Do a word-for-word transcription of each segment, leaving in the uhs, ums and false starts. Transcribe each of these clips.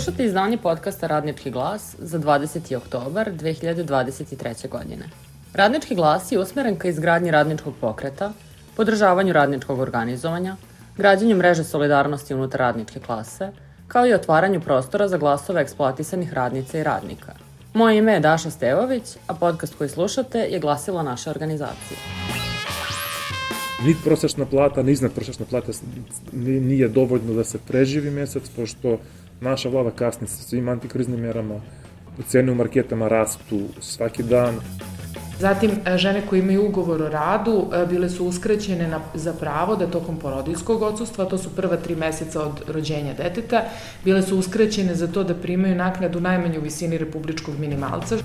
Slušate izdanje podcasta Radnički glas za dvadeseti oktobar dve hiljade dvadeset treće. godine. Radnički glas je usmeren ka izgradnji radničkog pokreta, podržavanju radničkog organizovanja, građenju mreže solidarnosti unutar radničke klase, kao i otvaranju prostora za glasove eksploatisanih radnica i radnika. Moje ime je Daša Stevović, a podcast koji slušate je glasilo naše organizacije. Ni prosečna plata, ni iznad prosečna plata nije dovoljno da se preživi mesec, pošto naša vlada kasni sa svim antikriznim merama, cene u marketama rastu svaki dan. Zatim, žene koje imaju ugovor o radu bile su uskraćene na, za pravo da tokom porodijskog odsustva, to su prva tri meseca od rođenja deteta, bile su uskraćene za to da primaju naknadu najmanje u visini republičkog minimalca.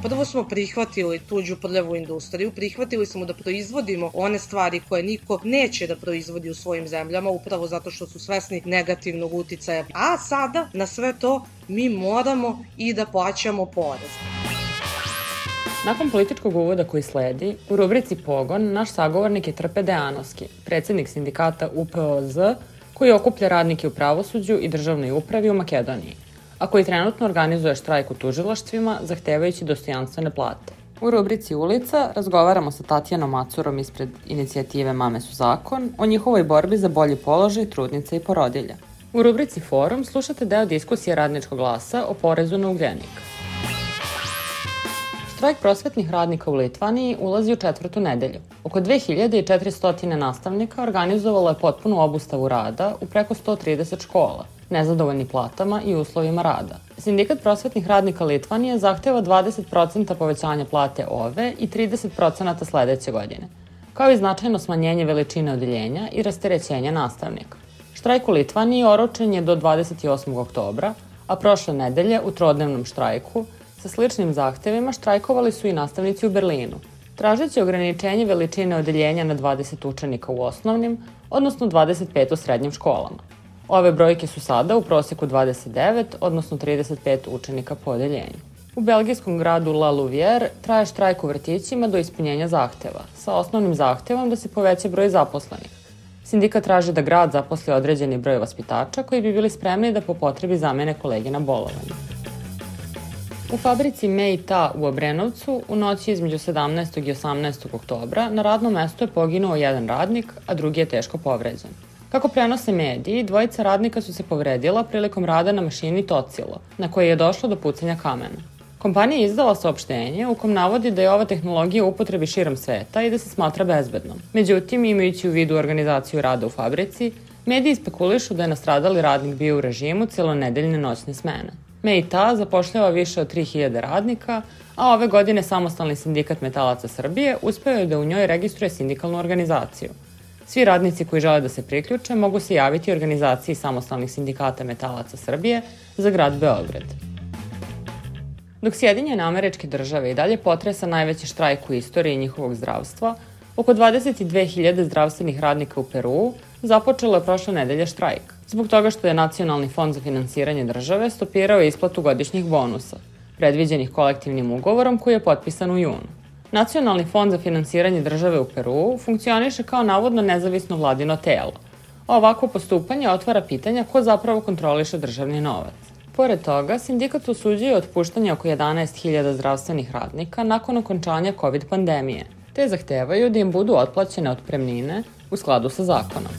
Prvo smo prihvatili tuđu prljavu industriju, prihvatili smo da proizvodimo one stvari koje niko neće da proizvodi u svojim zemljama, upravo zato što su svesni negativnog uticaja. A sada, na sve to, mi moramo i da plaćamo porez. Nakon političkog uvoda koji sledi, u rubrici Pogon naš sagovornik je Trpe Dejanovski, predsednik sindikata U P O Z, koji okuplja radnike u pravosuđu i državnoj upravi u Makedoniji, a koji trenutno organizuje štrajk u tužilaštvima, zahtevajući dostojanstvene plate. U rubrici Ulica razgovaramo sa Tatjanom Macurom ispred inicijative Mame su zakon o njihovoj borbi za bolji položaj trudnica i porodilja. U rubrici Forum slušate deo diskusije Radničkog glasa o porezu na ugljenik. Štrajk prosvetnih radnika u Litvaniji ulazi u četvrtu nedelju. Oko dve hiljade četiristo nastavnika organizovalo je potpunu obustavu rada u preko sto trideset škola, nezadovoljni platama i uslovima rada. Sindikat prosvetnih radnika Litvanije zahteva dvadeset posto povećanja plate ove i trideset posto sledeće godine, kao i značajno smanjenje veličine odeljenja i rasterećenja nastavnika. Štrajk u Litvaniji oročen je do dvadeset osmog oktobra, a prošle nedelje u trodnevnom štrajku sa sličnim zahtevima štrajkovali su i nastavnici u Berlinu, tražeći ograničenje veličine odeljenja na dvadeset učenika u osnovnim, odnosno dvadeset pet u srednjim školama. Ove brojke su sada u proseku dvadeset devet, odnosno trideset pet učenika po odeljenju. U belgijskom gradu La Louvière traje štrajk u vrtićima do ispunjenja zahteva, sa osnovnim zahtevom da se poveća broj zaposlenih. Sindikat traži da grad zaposli određeni broj vaspitača koji bi bili spremni da po potrebi zamene kolege na bolovanju. U fabrici Mei-Ta u Obrenovcu u noći između sedamnaestog i osamnaestog oktobra na radnom mestu je poginuo jedan radnik, a drugi je teško povređen. Kako prenose mediji, dvojica radnika su se povredila prilikom rada na mašini Tocilo, na kojoj je došlo do pucanja kamena. Kompanija je izdala saopštenje u kom navodi da je ova tehnologija u upotrebi širom sveta i da se smatra bezbednom. Međutim, imajući u vidu organizaciju rada u fabrici, mediji spekulišu da je nastradali radnik bio u režimu celonedeljne noćne smene. Mei-Ta zapošljava više od tri hiljade radnika, a ove godine Samostalni sindikat metalaca Srbije uspeo je da u njoj registruje sindikalnu organizaciju. Svi radnici koji žele da se priključe mogu se javiti organizaciji Samostalnih sindikata metalaca Srbije za grad Beograd. Dok Sjedinjene Američke Države i dalje potresa najveći štrajk u istoriji njihovog zdravstva, oko dvadeset dve hiljade zdravstvenih radnika u Peruu započelo je prošle nedelje štrajk, zbog toga što je Nacionalni fond za finansiranje države stopirao isplatu godišnjih bonusa, predviđenih kolektivnim ugovorom koji je potpisan u junu. Nacionalni fond za finansiranje države u Peruu funkcioniše kao navodno nezavisno vladino telo, a ovako postupanje otvara pitanja ko zapravo kontroliše državni novac. Pored toga, sindikat osuđuje otpuštanje oko jedanaest hiljada zdravstvenih radnika nakon okončanja COVID pandemije, te zahtevaju da im budu otplaćene otpremnine u skladu sa zakonom.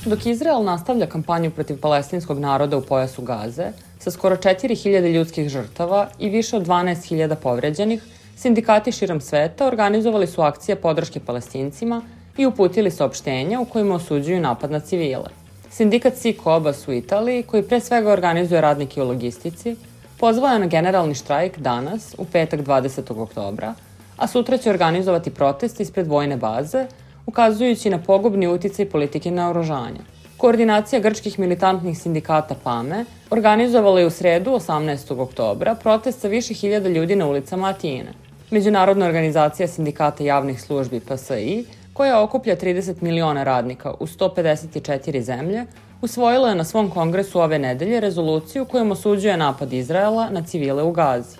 Dok Izrael nastavlja kampanju protiv palestinskog naroda u pojasu Gaze, sa skoro četiri hiljade ljudskih žrtava i više od dvanaest hiljada povređenih, sindikati širom sveta organizovali su akcije podrške Palestincima i uputili saopštenja u kojima osuđuju napad na civile. Sindikat Sikobas u Italiji, koji pre svega organizuje radnike u logistici, pozvao je na generalni štrajk danas, u petak dvadesetog oktobra, a sutra će organizovati protest ispred vojne baze, ukazujući na pogubni uticaj politike naoružanja. Koordinacija grčkih militantnih sindikata PAME organizovala je u sredu osamnaestog oktobra protest sa više hiljada ljudi na ulicama Atine. Međunarodna organizacija sindikata javnih službi P S I, koja okuplja trideset miliona radnika u sto pedeset četiri zemlje, usvojila je na svom kongresu ove nedelje rezoluciju kojom osuđuje napad Izraela na civile u Gazi.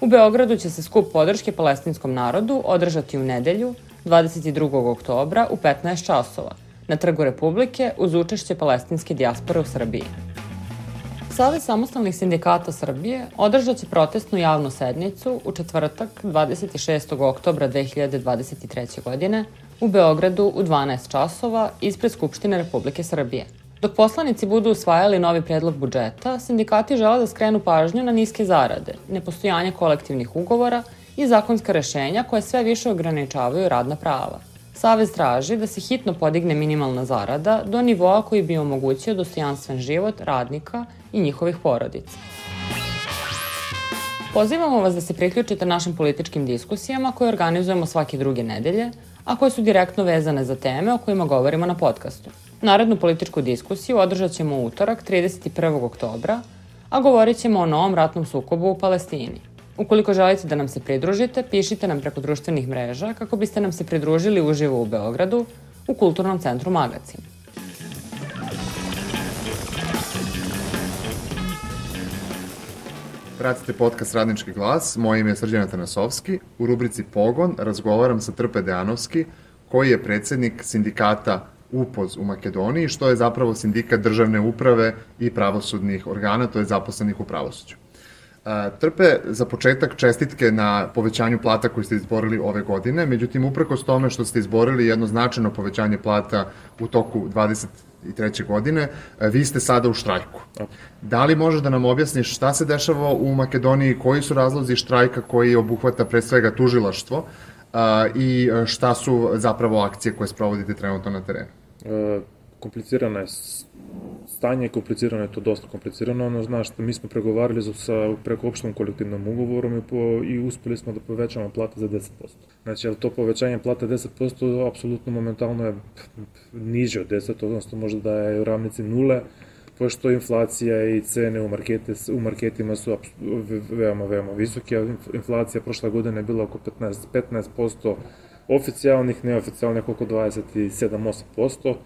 U Beogradu će se skup podrške palestinskom narodu održati u nedelju, dvadeset drugog oktobra u petnaest časova, na Trgu Republike uz učešće palestinske dijaspore u Srbiji. Savez samostalnih sindikata Srbije održat će protestnu javnu sednicu u četvrtak dvadeset šestog oktobra dve hiljade dvadeset treće. godine u Beogradu u dvanaest časova ispred Skupštine Republike Srbije. Dok poslanici budu usvajali novi predlog budžeta, sindikati žele da skrenu pažnju na niske zarade, nepostojanje kolektivnih ugovora i zakonska rešenja koje sve više ograničavaju radna prava. Savez traži da se hitno podigne minimalna zarada do nivoa koji bi omogućio dostojanstven život radnika i njihovih porodica. Pozivamo vas da se priključite našim političkim diskusijama koje organizujemo svake druge nedelje, a koje su direktno vezane za teme o kojima govorimo na podcastu. Narednu političku diskusiju održat ćemo u utorak trideset prvog oktobra, a govorit ćemo o novom ratnom sukobu u Palestini. Ukoliko želite da nam se pridružite, pišite nam preko društvenih mreža kako biste nam se pridružili uživo u Beogradu u Kulturnom centru Magacin. Pratite podcast Radnički glas, moje ime je Srđan Atanasovski. U rubrici Pogon razgovaram sa Trpe Dejanovski, koji je predsednik sindikata U P O Z u Makedoniji, što je zapravo sindikat državne uprave i pravosudnih organa, to je zaposlenih u pravosuđu. Trpe, za početak čestitke na povećanju plata koji ste izborili ove godine, međutim, uprkos tome što ste izborili jedno značajno povećanje plata u toku dvadeset treće. godine, vi ste sada u štrajku. Da li možeš da nam objasniš šta se dešava u Makedoniji, koji su razlozi štrajka koji obuhvata pre svega tužilaštvo i šta su zapravo akcije koje sprovodite trenutno na terenu? Komplicirana je stanje, komplicirano je to dosta komplicirano, ono znaš, mi smo pregovarali sa preko opštom kolektivnom ugovorom i, po, i uspeli smo da povećamo plate za deset posto. Znači, ali to povećanje plate deset posto apsolutno momentalno je niže od deset, odnosno možda da je u ravnici nule, pošto inflacija i cene u, markete, u marketima su veoma, veoma visoke, a inflacija prošle godine je bila oko petnaest posto oficijalnih, neoficijalnih oko dvadeset sedam do osam posto.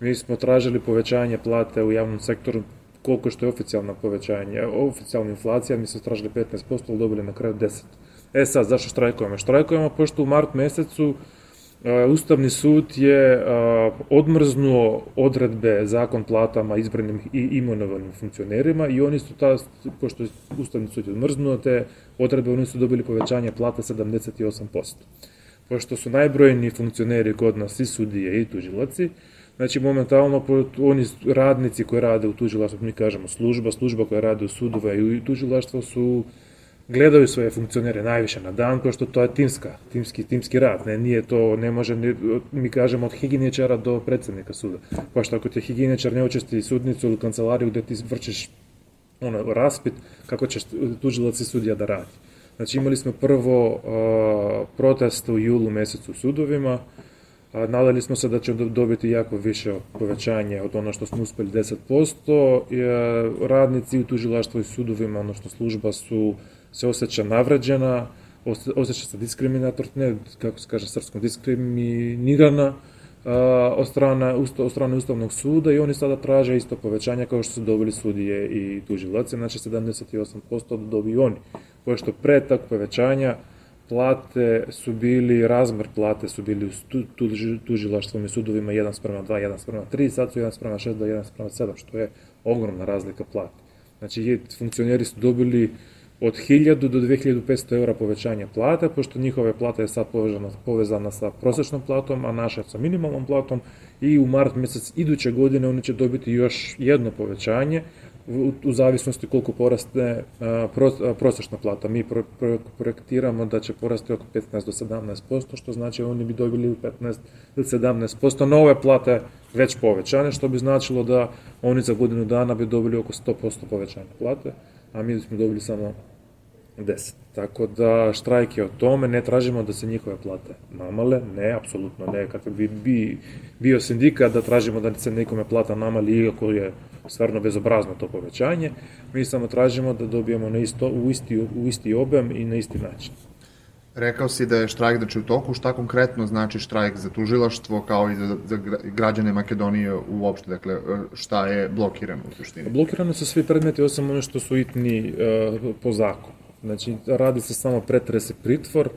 Mi smo tražili povećanje plate u javnom sektoru koliko što je oficijalno povećanje, oficijalna inflacija, mi smo tražili petnaest posto, ali dobili na kraju deset. E sad, zašto štrajkujemo? Štrajkujemo pošto u mart mesecu Ustavni sud je odmrznuo odredbe zakon platama izbranim i imenovanim funkcionerima i oni su ta, pošto je Ustavni sud je odmrznuo te odredbe, oni su dobili povećanje plata sedamdeset osam posto. Pošto su najbrojniji funkcioneri kod nas i sudije i tužilaci, znači, momentalno, oni radnici koji rade u tužilaštvu, mi kažemo služba, služba koja rade u sudove i u tužilaštvu su, gledaju svoje funkcionere najviše na dan, pošto to je timska, timski, timski rad, ne, nije to, ne može, ne, mi kažemo od higijeničara do predsednika suda, pošto ako ti higijeničar ne učesti sudnicu ili kancelariju gde ti vršiš ono, raspit, kako ćeš tužilac i sudija da radi. Znači, imali smo prvo uh, protest u julu mesecu u sudovima. Nadali smo se da ćemo dobiti jako više povećanje od ono što smo uspeli deset posto. Radnici u tužilaštvu i sudovima, odnosno služba su se osjeća navrađena, osjeća se diskriminator, ne, kako se kaže srpskom, diskriminirana od strane, od strane Ustavnog suda i oni sada traže isto povećanje kao što su dobili sudije i tužilaci, znači sedamdeset osam posto da dobiju oni. Pošto pre tak povećanja plate su bili, razmer plate su bili u tužilaštvom i sudovima jedan sprema dva, jedan sprema tri, sad su jedan sprema šest do jedan sprema sedam, što je ogromna razlika plate. Znači, funkcioneri su dobili od hiljadu do dve hiljade petsto eura povećanja plate, pošto njihove plata je sad povezana, povezana sa prosečnom platom, a naša sa minimalnom platom i u mart mesec iduće godine oni će dobiti još jedno povećanje, U, u zavisnosti koliko poraste a, pro, a, prosečna plata. Mi pro, pro, projektiramo da će porasti oko petnaest do sedamnaest posto, što znači oni bi dobili petnaest do sedamnaest posto nove plate već povećane, što bi značilo da oni za godinu dana bi dobili oko sto posto povećanja plate, a mi smo dobili samo deset. Tako da štrajk je o tome, ne tražimo da se njihove plate namale, ne, apsolutno ne, kako bi, bi bio sindikat da tražimo da se nekome plata namali, iako je stvarno bezobrazno to povećanje, mi samo tražimo da dobijemo na isto, u, isti, u isti obem i na isti način. Rekao si da je štrajk znači u toku, šta konkretno znači štrajk za tužilaštvo kao i za, za građane Makedonije uopšte, dakle šta je blokirano u suštini? Blokirano su svi predmeti osim ono što su itni uh, po zakonu. Znači, radi se samo pretres i pritvor,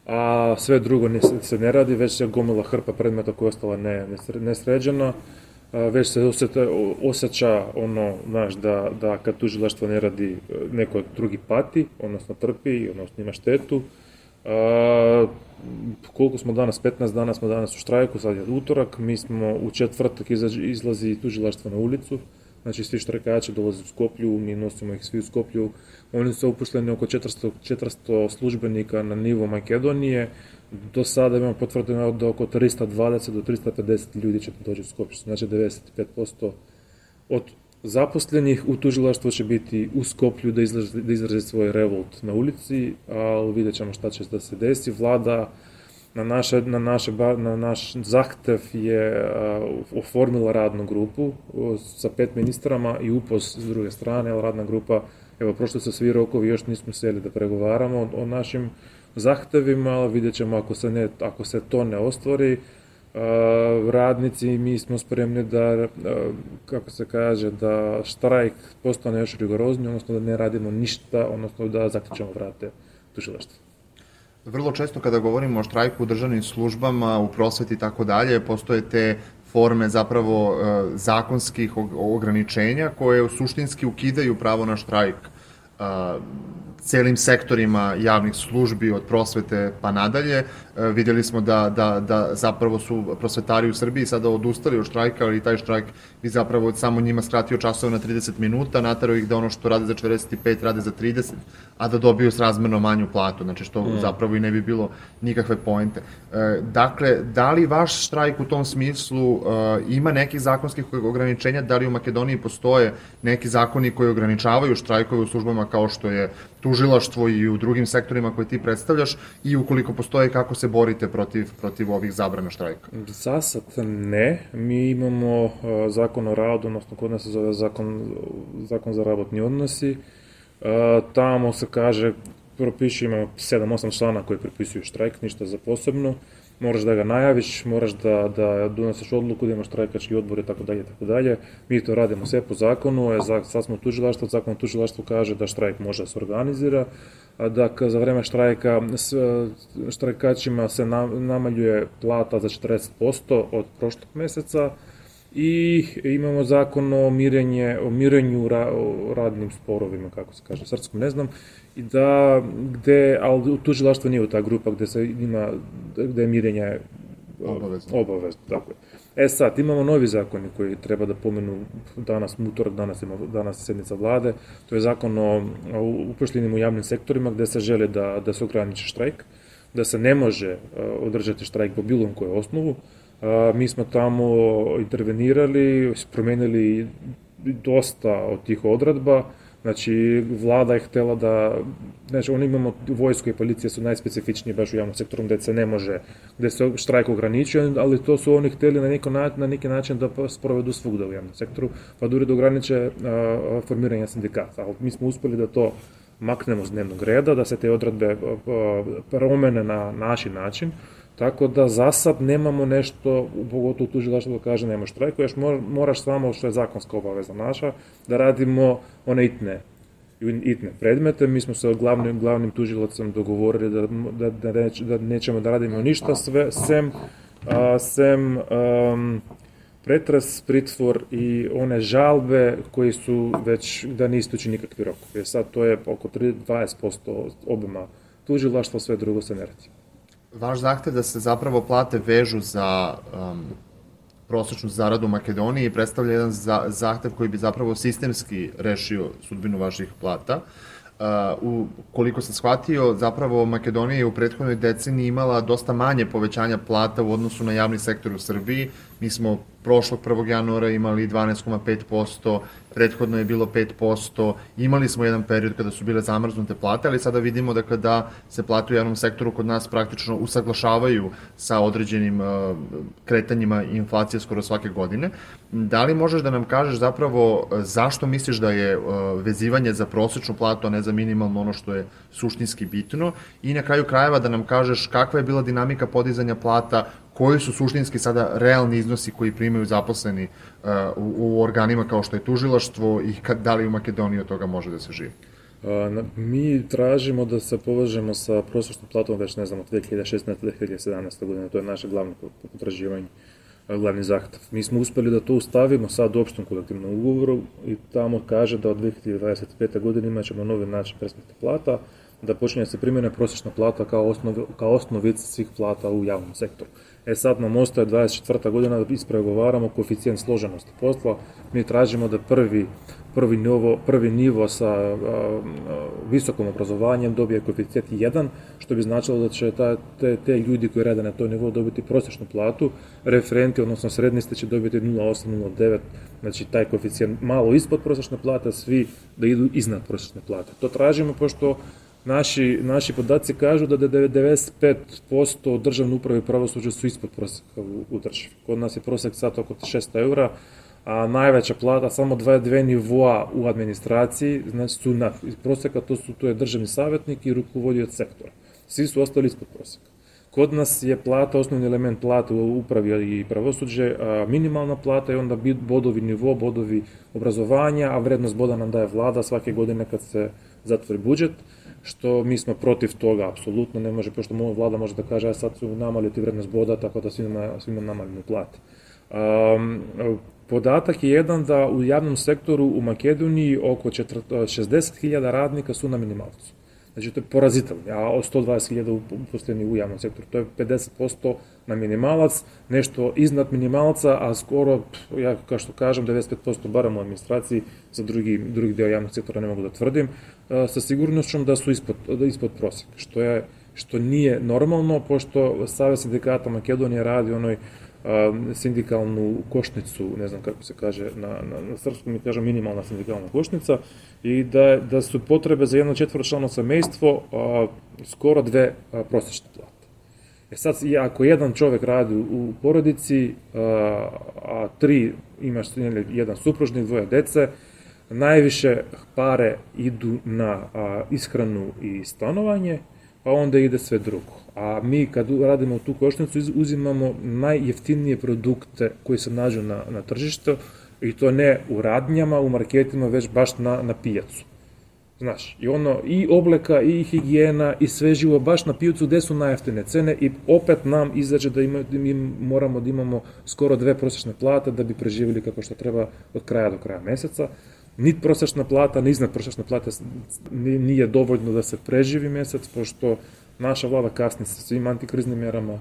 a sve drugo ne, se ne radi, već je gomila hrpa predmeta koja je ostala ne, nesređena. već se osjeta, osjeća ono, znaš, da, da kad tužilaštvo ne radi, neko drugi pati, odnosno trpi, odnosno ima štetu. A, koliko smo danas, petnaest dana smo danas u štrajku, sad je utorak, mi smo u četvrtak izađi, izlazi tužilaštvo na ulicu, znači svi štrajkači dolaze u Skoplju, mi nosimo ih svi u Skoplju, oni su upošljeni oko četiristo, četiristo službenika na nivo Makedonije, do sada imamo potvrdeno da oko trista dvadeset do trista pedeset ljudi će doći u Skoplju, znači devedeset pet posto od zaposlenih u tužilaštvu će biti u Skoplju da izrazi, da izrazi svoj revolt na ulici, ali vidjet ćemo šta će da se desi. Vlada na, naše, na, naše, na naš zahtev je uh, oformila radnu grupu uh, sa pet ministrama i U P O S s druge strane, ali radna grupa, evo, prošli su svi rokovi, još nismo seli da pregovaramo o, o našim zahtevima, ali vidjet ćemo ako se, ne, ako se to ne ostvari, Uh, radnici, mi smo spremni da, uh, kako se kaže, da štrajk postane još rigorozniji, odnosno da ne radimo ništa, odnosno da zaključamo vrate tužilaštva. Vrlo često kada govorimo o štrajku u državnim službama, u prosveti i tako dalje, postoje te forme zapravo uh, zakonskih ograničenja koje suštinski ukidaju pravo na štrajk uh, celim sektorima javnih službi, od prosvete pa nadalje. E, vidjeli smo da, da, da zapravo su prosvetari u Srbiji sada odustali od štrajka, ali taj štrajk bi zapravo samo njima skratio časove na trideset minuta, naterao ih da ono što rade za četrdeset pet rade za trideset, a da dobiju srazmerno manju platu, znači što mm. zapravo i ne bi bilo nikakve poente. E, dakle, da li vaš štrajk u tom smislu e, ima nekih zakonskih ograničenja, da li u Makedoniji postoje neki zakoni koji ograničavaju štrajkove u službama kao što je tužilaštvo i u drugim sektorima koje ti predstavljaš, i ukoliko postoje, kako se borite protiv, protiv ovih zabrana štrajka? Za sad ne. Mi imamo uh, zakon o radu, odnosno kod nas se zove zakon, zakon za rabotni odnosi. Uh, tamo se kaže, propiše, imamo sedam osam člana koji propisuju štrajk, ništa za posebno. Moraš da ga najaviš, moraš da, da donosiš odluku, da imaš štrajkački odbor i tako dalje, tako dalje. Mi to radimo sve po zakonu, je, sad smo u tužilaštvu, zakon o tužilaštvu kaže da štrajk može da se organizira, a da za vreme štrajka štrajkačima se namaljuje plata za četrdeset posto od prošlog meseca i imamo zakon o mirenje, o mirenju ra, o radnim sporovima, kako se kaže, srpskom ne znam, i da, gde, ali tužilaštvo nije u ta grupa gde se ima, gde je mirenje obavezno. obavezno, tako je. E sad, imamo novi zakoni koji treba da pomenu danas, utorak, danas ima danas sednica vlade, to je zakon o, o upošljenim u javnim sektorima gde se žele da, da se ograniči štrajk, da se ne može uh, održati štrajk po bilo kojoj osnovu. Uh, mi smo tamo intervenirali, promenili dosta od tih odredba. Znači, vlada je htela da, znači, oni imamo, vojsko i policija su najspecifičniji baš u javnom sektoru gde se ne može, gde se štrajk ograničuje, ali to su oni hteli na, neko, na neki način da sprovedu svugda u javnom sektoru, pa da urede ograniče a, formiranje sindikata. Ali mi smo uspeli da to maknemo s dnevnog reda, da se te odredbe promene na naš način, tako da za sad nemamo nešto, pogotovo tužilaštvo da kaže nema štrajku, još moraš samo, što je zakonska obaveza naša, da radimo one itne, itne predmete. Mi smo se glavnim, glavnim tužilacom dogovorili da, da, da, neć, da nećemo da radimo ništa sve, sem, a, sem um, pretres, pritvor i one žalbe koji su već da ne istući nikakvi rokovi. Jer sad to je oko dvadeset posto obima tužilaštva, sve drugo se ne radi. Vaš zahtev da se zapravo plate vežu za um, prosečnu zaradu u Makedoniji predstavlja jedan za, zahtev koji bi zapravo sistemski rešio sudbinu vaših plata. Uh, u, koliko sam shvatio, zapravo Makedonija je u prethodnoj deceniji imala dosta manje povećanja plata u odnosu na javni sektor u Srbiji. Mi smo prošlog prvog januara imali dvanaest zarez pet posto, prethodno je bilo pet posto, imali smo jedan period kada su bile zamrznute plate, ali sada vidimo dakle, da se plate u javnom sektoru kod nas praktično usaglašavaju sa određenim uh, kretanjima inflacije skoro svake godine. Da li možeš da nam kažeš zapravo zašto misliš da je uh, vezivanje za prosečnu platu, a ne za minimalno, ono što je suštinski bitno, i na kraju krajeva da nam kažeš kakva je bila dinamika podizanja plata, koji su suštinski sada realni iznosi koji primaju zaposleni uh, u, u organima kao što je tužilaštvo, i kad, da li u Makedoniji od toga može da se živi? Uh, mi tražimo da se povežemo sa prosječnom platom već, ne znam, od dve hiljade šesnaeste do dve hiljade sedamnaeste godine, to je naše glavno potraživanje. Uh, glavni zahtev. Mi smo uspeli da to ustavimo sad u opštom kolektivnom ugovoru i tamo kaže da od dve hiljade dvadeset pete. godine imat ćemo novi način presplate plata, da počinje se primjena prosječna plata kao, osnov, kao osnovica svih plata u javnom sektoru. E sad nam ostaje dvadeset četvrta. godina da ispregovaramo koeficijent složenosti posla. Mi tražimo da prvi, prvi, nivo, prvi nivo sa a, a, visokom obrazovanjem dobije koeficijent jedan, što bi značilo da će ta, te, te ljudi koji rade na toj nivou dobiti prosječnu platu, referenti, odnosno srednjiste će dobiti nula zarez osam, nula zarez devet, znači taj koeficijent malo ispod prosječne plate, svi da idu iznad prosječne plate. To tražimo pošto Naši, naši podaci kažu da devedeset pet posto državne uprave i pravosuđa su ispod prosjeka u, u državi. Kod nas je prosjek sad oko šesto eura, a najveća plata, samo dva, dve nivoa u administraciji, znači su na prosjeka, to, su, to je državni savjetnik i rukovodioc sektora. Svi su ostali ispod prosjeka. Kod nas je plata, osnovni element plate u upravi i pravosuđe, a minimalna plata i onda bodovi nivo, bodovi obrazovanja, a vrednost boda nam daje vlada svake godine kad se zatvori budžet, što mi smo protiv toga, apsolutno ne može, pošto moja vlada može da kaže, a sad su namaliti vrednost boda, tako da svima, svima namalinu plate. Um, podatak je jedan da u javnom sektoru u Makedoniji oko šezdeset hiljada radnika su na minimalcu. Znači, to je porazitelno, a sto dvadeset hiljada uposleni u javnom sektoru. To je pedeset posto na minimalac, nešto iznad minimalca, a skoro, ja kao što kažem, devedeset pet posto barem u administraciji, za drugi, drugi deo javnog sektora ne mogu da tvrdim, sa sigurnošćom da su ispod, da ispod prosjeka, što, je, što nije normalno, pošto Savez sindikata Makedonije radi onoj sindikalnu košnicu, ne znam kako se kaže na, na, na srpskom, mi kažem minimalna sindikalna košnica, i da, da su potrebe za jedno četvoročlano semejstvo a, skoro dve a, prosječne plate. E sad, ako jedan čovek radi u porodici, a, a tri, imaš jedan supružnik, dvoje dece, najviše pare idu na a, ishranu i stanovanje, pa onda ide sve drugo. A mi kad radimo tu košnicu uzimamo najjeftinije produkte koji se nađu na, na tržištu i to ne u radnjama, u marketima, već baš na, na pijacu. Znaš, i ono, i obleka, i higijena, i sve živo baš na pijacu gde su najjeftine cene i opet nam izađe da, ima, da mi moramo da imamo skoro dve prosječne plate da bi preživjeli kako što treba od kraja do kraja meseca. Nit prosječna plata, ni iznad prosječne plate nije dovoljno da se preživi mesec, pošto naša vlada kasni sa svim antikriznim merama,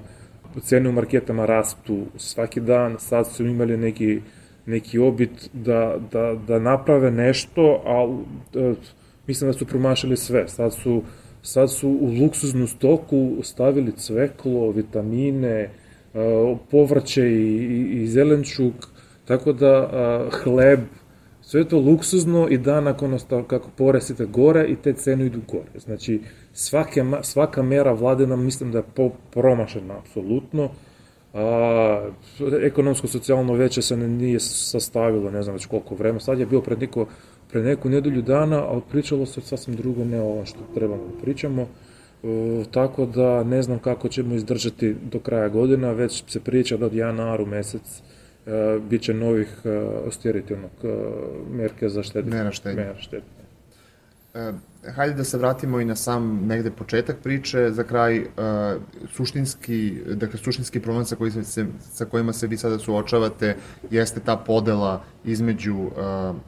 cene u marketama rastu svaki dan, sad su imali neki, neki obit da, da, da naprave nešto, a da, mislim da su promašili sve. Sad su, sad su u luksuznu stoku stavili cveklo, vitamine, povrće i, i, i zelenčuk, tako da hleb, sve je to luksuzno i da nakon kako poresite gore i te cene idu gore. Znači, svake, svaka mera vlade nam mislim da je po, promašena, apsolutno. A, ekonomsko-socijalno veće se ne, nije sastavilo, ne znam već koliko vremena. Sad je bio pred, neko, pred neku nedelju dana, ali pričalo se sasvim drugo, ne ovo što trebamo da pričamo. E, tako da ne znam kako ćemo izdržati do kraja godina, već se priča da od januara mesec Uh, bit će novih uh, austeritivnog uh, merke za štednje. Mera štednje. Uh, hajde da se vratimo i na sam negde početak priče, za kraj uh, suštinski, dakle suštinski problem sa, koji se, sa kojima se vi sada suočavate jeste ta podela između uh,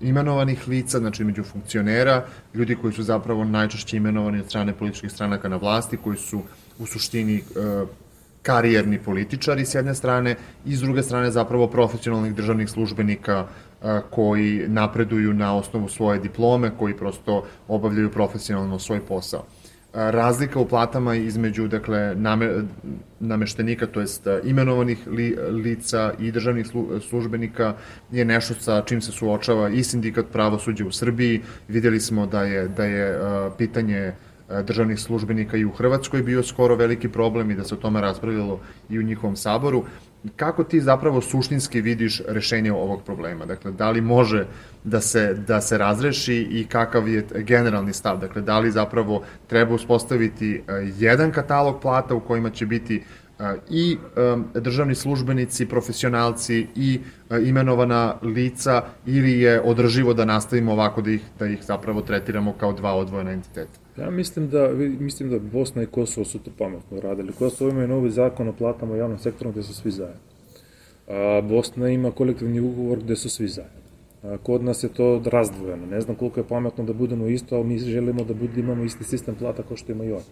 imenovanih lica, znači između funkcionera, ljudi koji su zapravo najčešće imenovani od strane političkih stranaka na vlasti, koji su u suštini uh, karijerni političari s jedne strane i s druge strane zapravo profesionalnih državnih službenika a, koji napreduju na osnovu svoje diplome, koji prosto obavljaju profesionalno svoj posao. A, razlika u platama između dakle, name, nameštenika, to jest imenovanih li, lica i državnih slu, službenika je nešto sa čim se suočava i sindikat pravosuđa u Srbiji. Videli smo da je, da je a, pitanje državnih službenika i u Hrvatskoj bio skoro veliki problem i da se o tome raspravljalo i u njihovom saboru. Kako ti zapravo suštinski vidiš rešenje ovog problema? Dakle, da li može da se, da se razreši i kakav je generalni stav? Dakle, da li zapravo treba uspostaviti jedan katalog plata u kojima će biti i državni službenici, profesionalci i imenovana lica ili je održivo da nastavimo ovako da ih, da ih zapravo tretiramo kao dva odvojena entiteta? Ja mislim da, mislim da Bosna i Kosovo su to pametno radili. Kosovo imaju novi zakon o platama u javnom sektoru gde su svi zajedno. Bosna ima kolektivni ugovor gde su svi zajedno. Kod nas je to razdvojeno. Ne znam koliko je pametno da budemo isto, ali mi želimo da budemo, imamo isti sistem plata kao što imaju oni.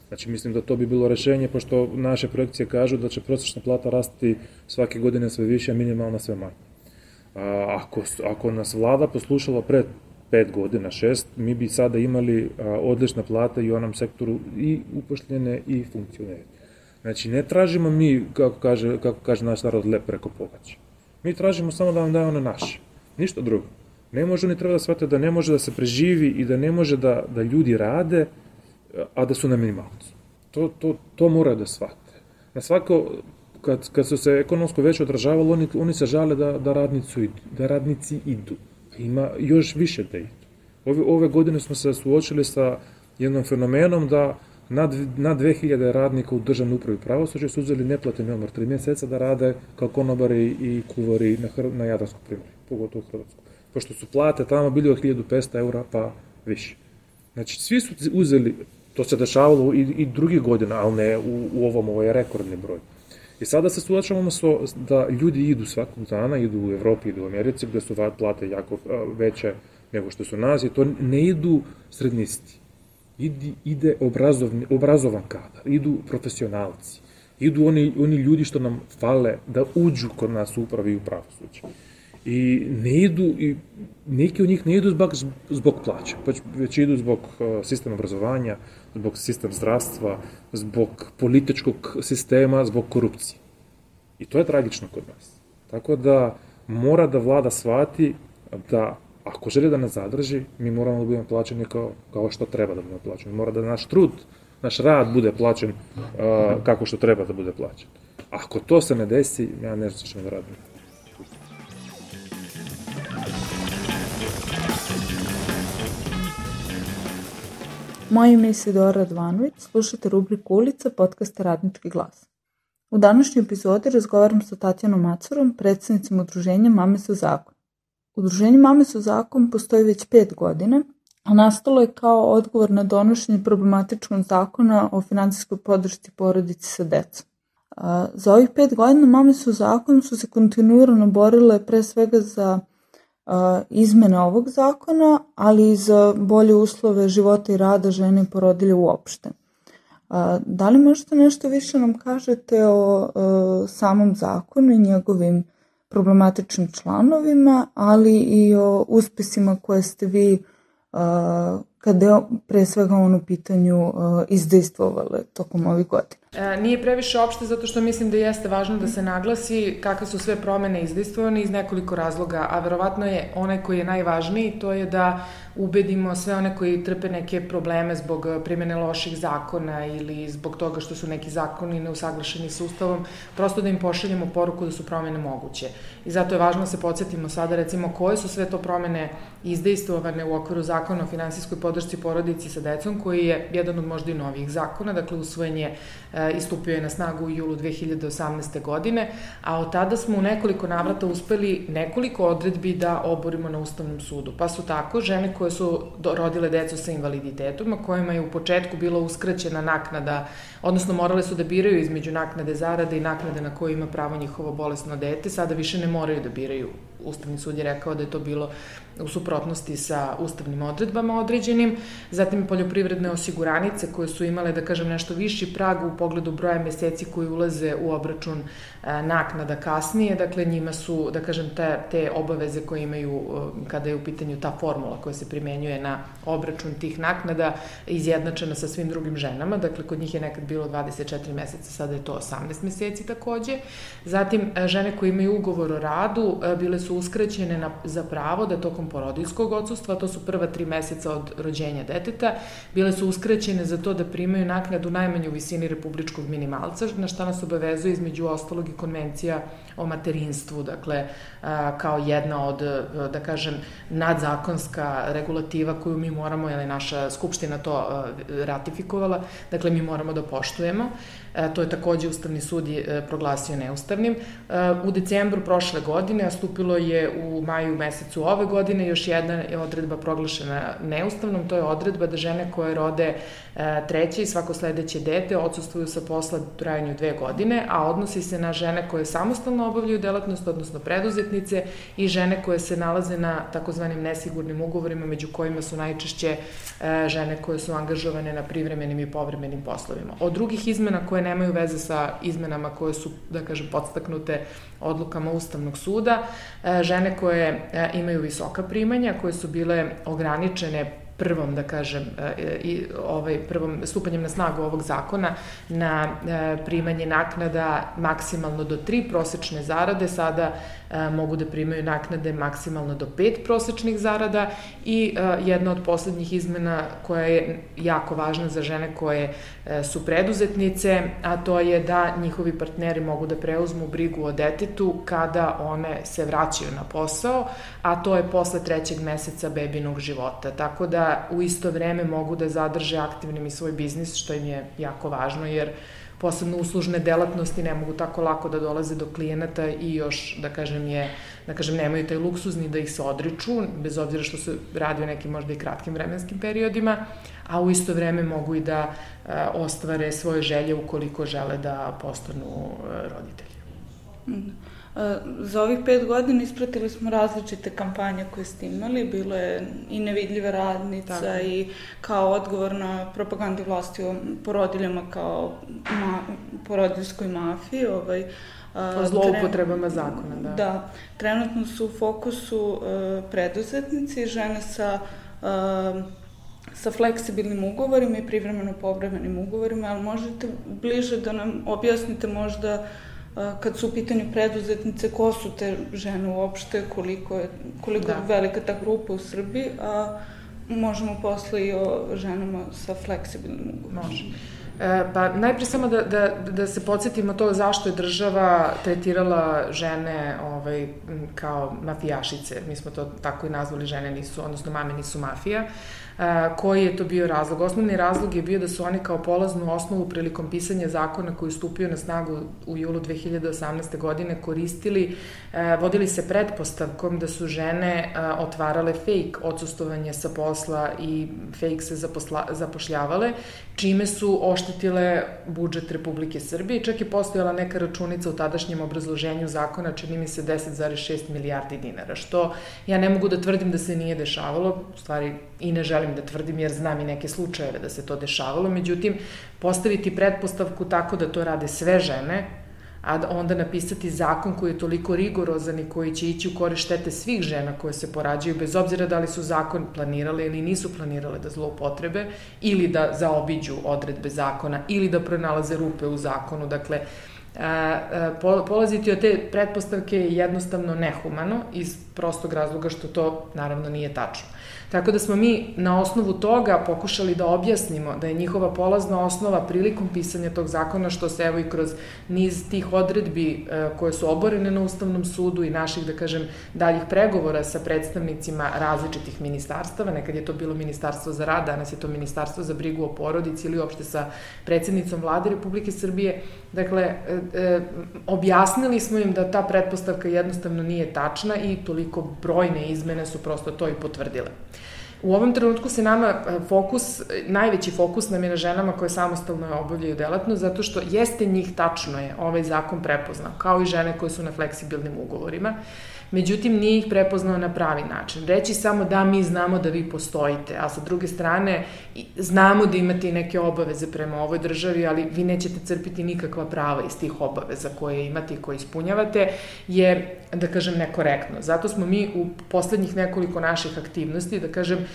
Znači, mislim da to bi bilo rešenje, pošto naše projekcije kažu da će prosječna plata rasti svake godine sve više, a minimalna sve manje. Ako, ako nas vlada poslušala pre pet godina, šest, mi bi sada imali odlične plate i u onom sektoru i upošljene i funkcioneri. Znači, ne tražimo mi, kako kaže, kako kaže naš narod, lep preko pogaća. Mi tražimo samo da vam daje ono naše. Ništa drugo. Ne može, oni treba da shvate da ne može da se preživi i da ne može da, da ljudi rade, a da su na minimalcu. To, to, to mora da shvate. Na svako, kad, kad su se ekonomsko već odražavalo, oni, oni se žale da, da, radnicu, da radnici idu. Ima još više da idu. Ove, ove godine smo se suočili sa jednom fenomenom da na, na dve hiljade radnika u državnoj upravi pravosuđa su uzeli neplateni odmor tri mjeseca da rade kao konobari i kuvari na, na Jadranskom primjeru, pogotovo u Hrvatsku. Pošto su plate tamo bili od hiljadu petsto eura pa više. Znači, svi su uzeli, to se dešavalo i, i drugih godina, ali ne u, u ovom, ovo je rekordni broj. I sada se suočavamo so, da ljudi idu svakog dana, idu u Evropi, idu u Americi, gde su plate jako veće nego što su nas, i to ne idu srednisti. Ide, ide obrazovni, obrazovan kadar, idu profesionalci, idu oni, oni ljudi što nam fale da uđu kod nas u upravi i u pravosuđe. I ne idu, i neki od njih ne idu zbog, zbog plaća, već idu zbog sistema obrazovanja, zbog sistema zdravstva, zbog političkog sistema, zbog korupcije. I to je tragično kod nas. Tako da mora da vlada shvati da ako želi da nas zadrži, mi moramo da budemo plaćeni kao, kao što treba da budemo plaćeni. Mora da naš trud, naš rad bude plaćen uh, kako što treba da bude plaćen. Ako to se ne desi, ja ne znam što ćemo da radimo. Moje ime je Sidora Radvanović, slušate rubriku Ulica podcasta Radnički glas. U današnjoj epizodi razgovaram sa Tatjanom Macurom, predsednicom udruženja Mame su zakon. Udruženje Mame su zakon postoji već pet godina, a nastalo je kao odgovor na donošenje problematičkog zakona o finansijskoj podršci porodici sa decom. Za ovih pet godina Mame su zakon su se kontinuirano borile pre svega za izmene ovog zakona, ali i za bolje uslove života i rada žene i porodilje uopšte. Da li možete nešto više nam kažete o samom zakonu i njegovim problematičnim članovima, ali i o uspesima koje ste vi, kada je pre svega on u pitanju, izdejstvovale tokom ovih godina? Nije previše opšte zato što mislim da jeste važno da se naglasi kakve su sve promene izdejstvovane iz nekoliko razloga, a verovatno je onaj koji je najvažniji, to je da ubedimo sve one koji trpe neke probleme zbog primjene loših zakona ili zbog toga što su neki zakoni neusaglašeni sa Ustavom, prosto da im pošaljemo poruku da su promene moguće. I zato je važno da se podsjetimo sada recimo koje su sve to promene izdejstvovane u okviru zakona o finansijskoj podršci porodici sa decom, koji je jedan od možda i novijih zakona, dakle usvojen je i stupio je na snagu u julu dve hiljade osamnaeste. godine, a od tada smo u nekoliko navrata uspeli nekoliko odredbi da oborimo na Ustavnom sudu. Pa su tako žene koje su rodile decu sa invaliditetom, a kojima je u početku bila uskraćena naknada, odnosno morale su da biraju između naknade zarade i naknade na koju ima pravo njihovo bolesno dete, sada više ne moraju da biraju. Ustavni sud je rekao da je to bilo u suprotnosti sa ustavnim odredbama određenim, zatim poljoprivredne osiguranice koje su imale, da kažem, nešto viši prag u pogledu broja meseci koji ulaze u obračun naknada kasnije, dakle njima su, da kažem, te, te obaveze koje imaju kada je u pitanju ta formula koja se primenjuje na obračun tih naknada izjednačena sa svim drugim ženama, dakle kod njih je nekad bilo dvadeset četiri meseca, sada je to osamnaest meseci takođe. Zatim žene koje imaju ugovor o radu bile su uskraćene na, za pravo da tokom porodiljskog odsustva, to su prva tri meseca od rođenja deteta, bile su uskraćene za to da primaju naknadu najmanju u visini republičkog minimalca, na šta nas obavezuje između ostalog i konvencija o materinstvu, dakle kao jedna od, da kažem, nadzakonska regulativa koju mi moramo, jer je naša skupština to ratifikovala, dakle mi moramo da poštujemo. To je takođe Ustavni sud proglasio neustavnim. U decembru prošle godine, a stupilo je u maju mesecu ove godine, još jedna je odredba proglašena neustavnom, to je odredba da žene koje rode treće i svako sledeće dete odsustvuju sa posla u trajanju dve godine, a odnosi se na žene koje samostalno samostalno obavljaju delatnost, odnosno preduzetnice, i žene koje se nalaze na takozvanim nesigurnim ugovorima, među kojima su najčešće žene koje su angažovane na privremenim i povremenim poslovima. Od drugih izmena koje nemaju veze sa izmenama koje su, da kažem, podstaknute odlukama Ustavnog suda, žene koje imaju visoka primanja, koje su bile ograničene prvom, da kažem, i ovaj prvom stupanjem na snagu ovog zakona na primanje naknada maksimalno do tri prosečne zarade, sada mogu da primaju naknade maksimalno do pet prosečnih zarada. I jedna od poslednjih izmena koja je jako važna za žene koje su preduzetnice, a to je da njihovi partneri mogu da preuzmu brigu o detetu kada one se vraćaju na posao, a to je posle trećeg meseca bebinog života. Tako da u isto vreme mogu da zadrže aktivnim i svoj biznis, što im je jako važno, jer posebno uslužne delatnosti ne mogu tako lako da dolaze do klijenata i još, da kažem, je, da kažem, nemaju taj luksuzni da ih se odriču, bez obzira što se radi o nekim možda i kratkim vremenskim periodima, a u isto vreme mogu i da e, ostvare svoje želje ukoliko žele da postanu e, roditelji. Mm. Za ovih pet godina ispratili smo različite kampanje koje ste imali, bilo je i nevidljiva radnica, tako, i kao odgovor na propagandi vlasti o porodiljama kao ma, porodiljskoj mafiji. Ovaj, o zloupotrebama zakona, da. Da, trenutno su u fokusu uh, preduzetnici, žene sa uh, sa fleksibilnim ugovorima i privremeno povremenim ugovorima, ali možete bliže da nam objasnite možda kad su u pitanju preduzetnice, ko su te žene uopšte, koliko je, koliko je velika ta grupa u Srbiji, a možemo posle i o ženama sa fleksibilnim ugovorom. Može. E, pa najprije samo da, da, da se podsjetimo to zašto je država tretirala žene ovaj, kao mafijašice. Mi smo to tako i nazvali, žene nisu, odnosno mame nisu mafija. Uh, koji je to bio razlog? Osnovni razlog je bio da su oni kao polaznu osnovu prilikom pisanja zakona koji je stupio na snagu u julu dve hiljade osamnaeste. godine koristili, uh, vodili se pretpostavkom da su žene uh, otvarale fake odsustovanje sa posla i fake se zaposla, zapošljavale, čime su oštetile budžet Republike Srbije. Čak je postojala neka računica u tadašnjem obrazloženju zakona, čini mi se deset zarez šest milijardi dinara, što ja ne mogu da tvrdim da se nije dešavalo, u stvari i ne želim da tvrdim jer znam i neke slučajeve da se to dešavalo, međutim, postaviti pretpostavku tako da to rade sve žene, a onda napisati zakon koji je toliko rigorozan i koji će ići u korist štete svih žena koje se porađaju, bez obzira da li su zakon planirale ili nisu planirale da zloupotrebe, ili da zaobiđu odredbe zakona, ili da pronalaze rupe u zakonu. Dakle, polaziti od te pretpostavke je jednostavno nehumano iz prostog razloga što to naravno nije tačno. Tako da smo mi na osnovu toga pokušali da objasnimo da je njihova polazna osnova prilikom pisanja tog zakona, što se evo i kroz niz tih odredbi koje su oborene na Ustavnom sudu i naših, da kažem, daljih pregovora sa predstavnicima različitih ministarstava, nekad je to bilo Ministarstvo za rad, danas je to Ministarstvo za brigu o porodici ili uopšte sa predsednicom Vlade Republike Srbije. Dakle, objasnili smo im da ta pretpostavka jednostavno nije tačna i toliko brojne izmene su prosto to i potvrdile. U ovom trenutku se nama fokus, najveći fokus nam je na ženama koje samostalno obavljaju delatnost, zato što jeste njih, tačno je, ovaj zakon prepoznao, kao i žene koje su na fleksibilnim ugovorima. Međutim, nije ih prepoznao na pravi način. Reći samo da mi znamo da vi postojite, a sa druge strane znamo da imate i neke obaveze prema ovoj državi, ali vi nećete crpiti nikakva prava iz tih obaveza koje imate i koje ispunjavate, je, da kažem, nekorektno. Zato smo mi u poslednjih nekoliko naših aktivnosti, da kažem,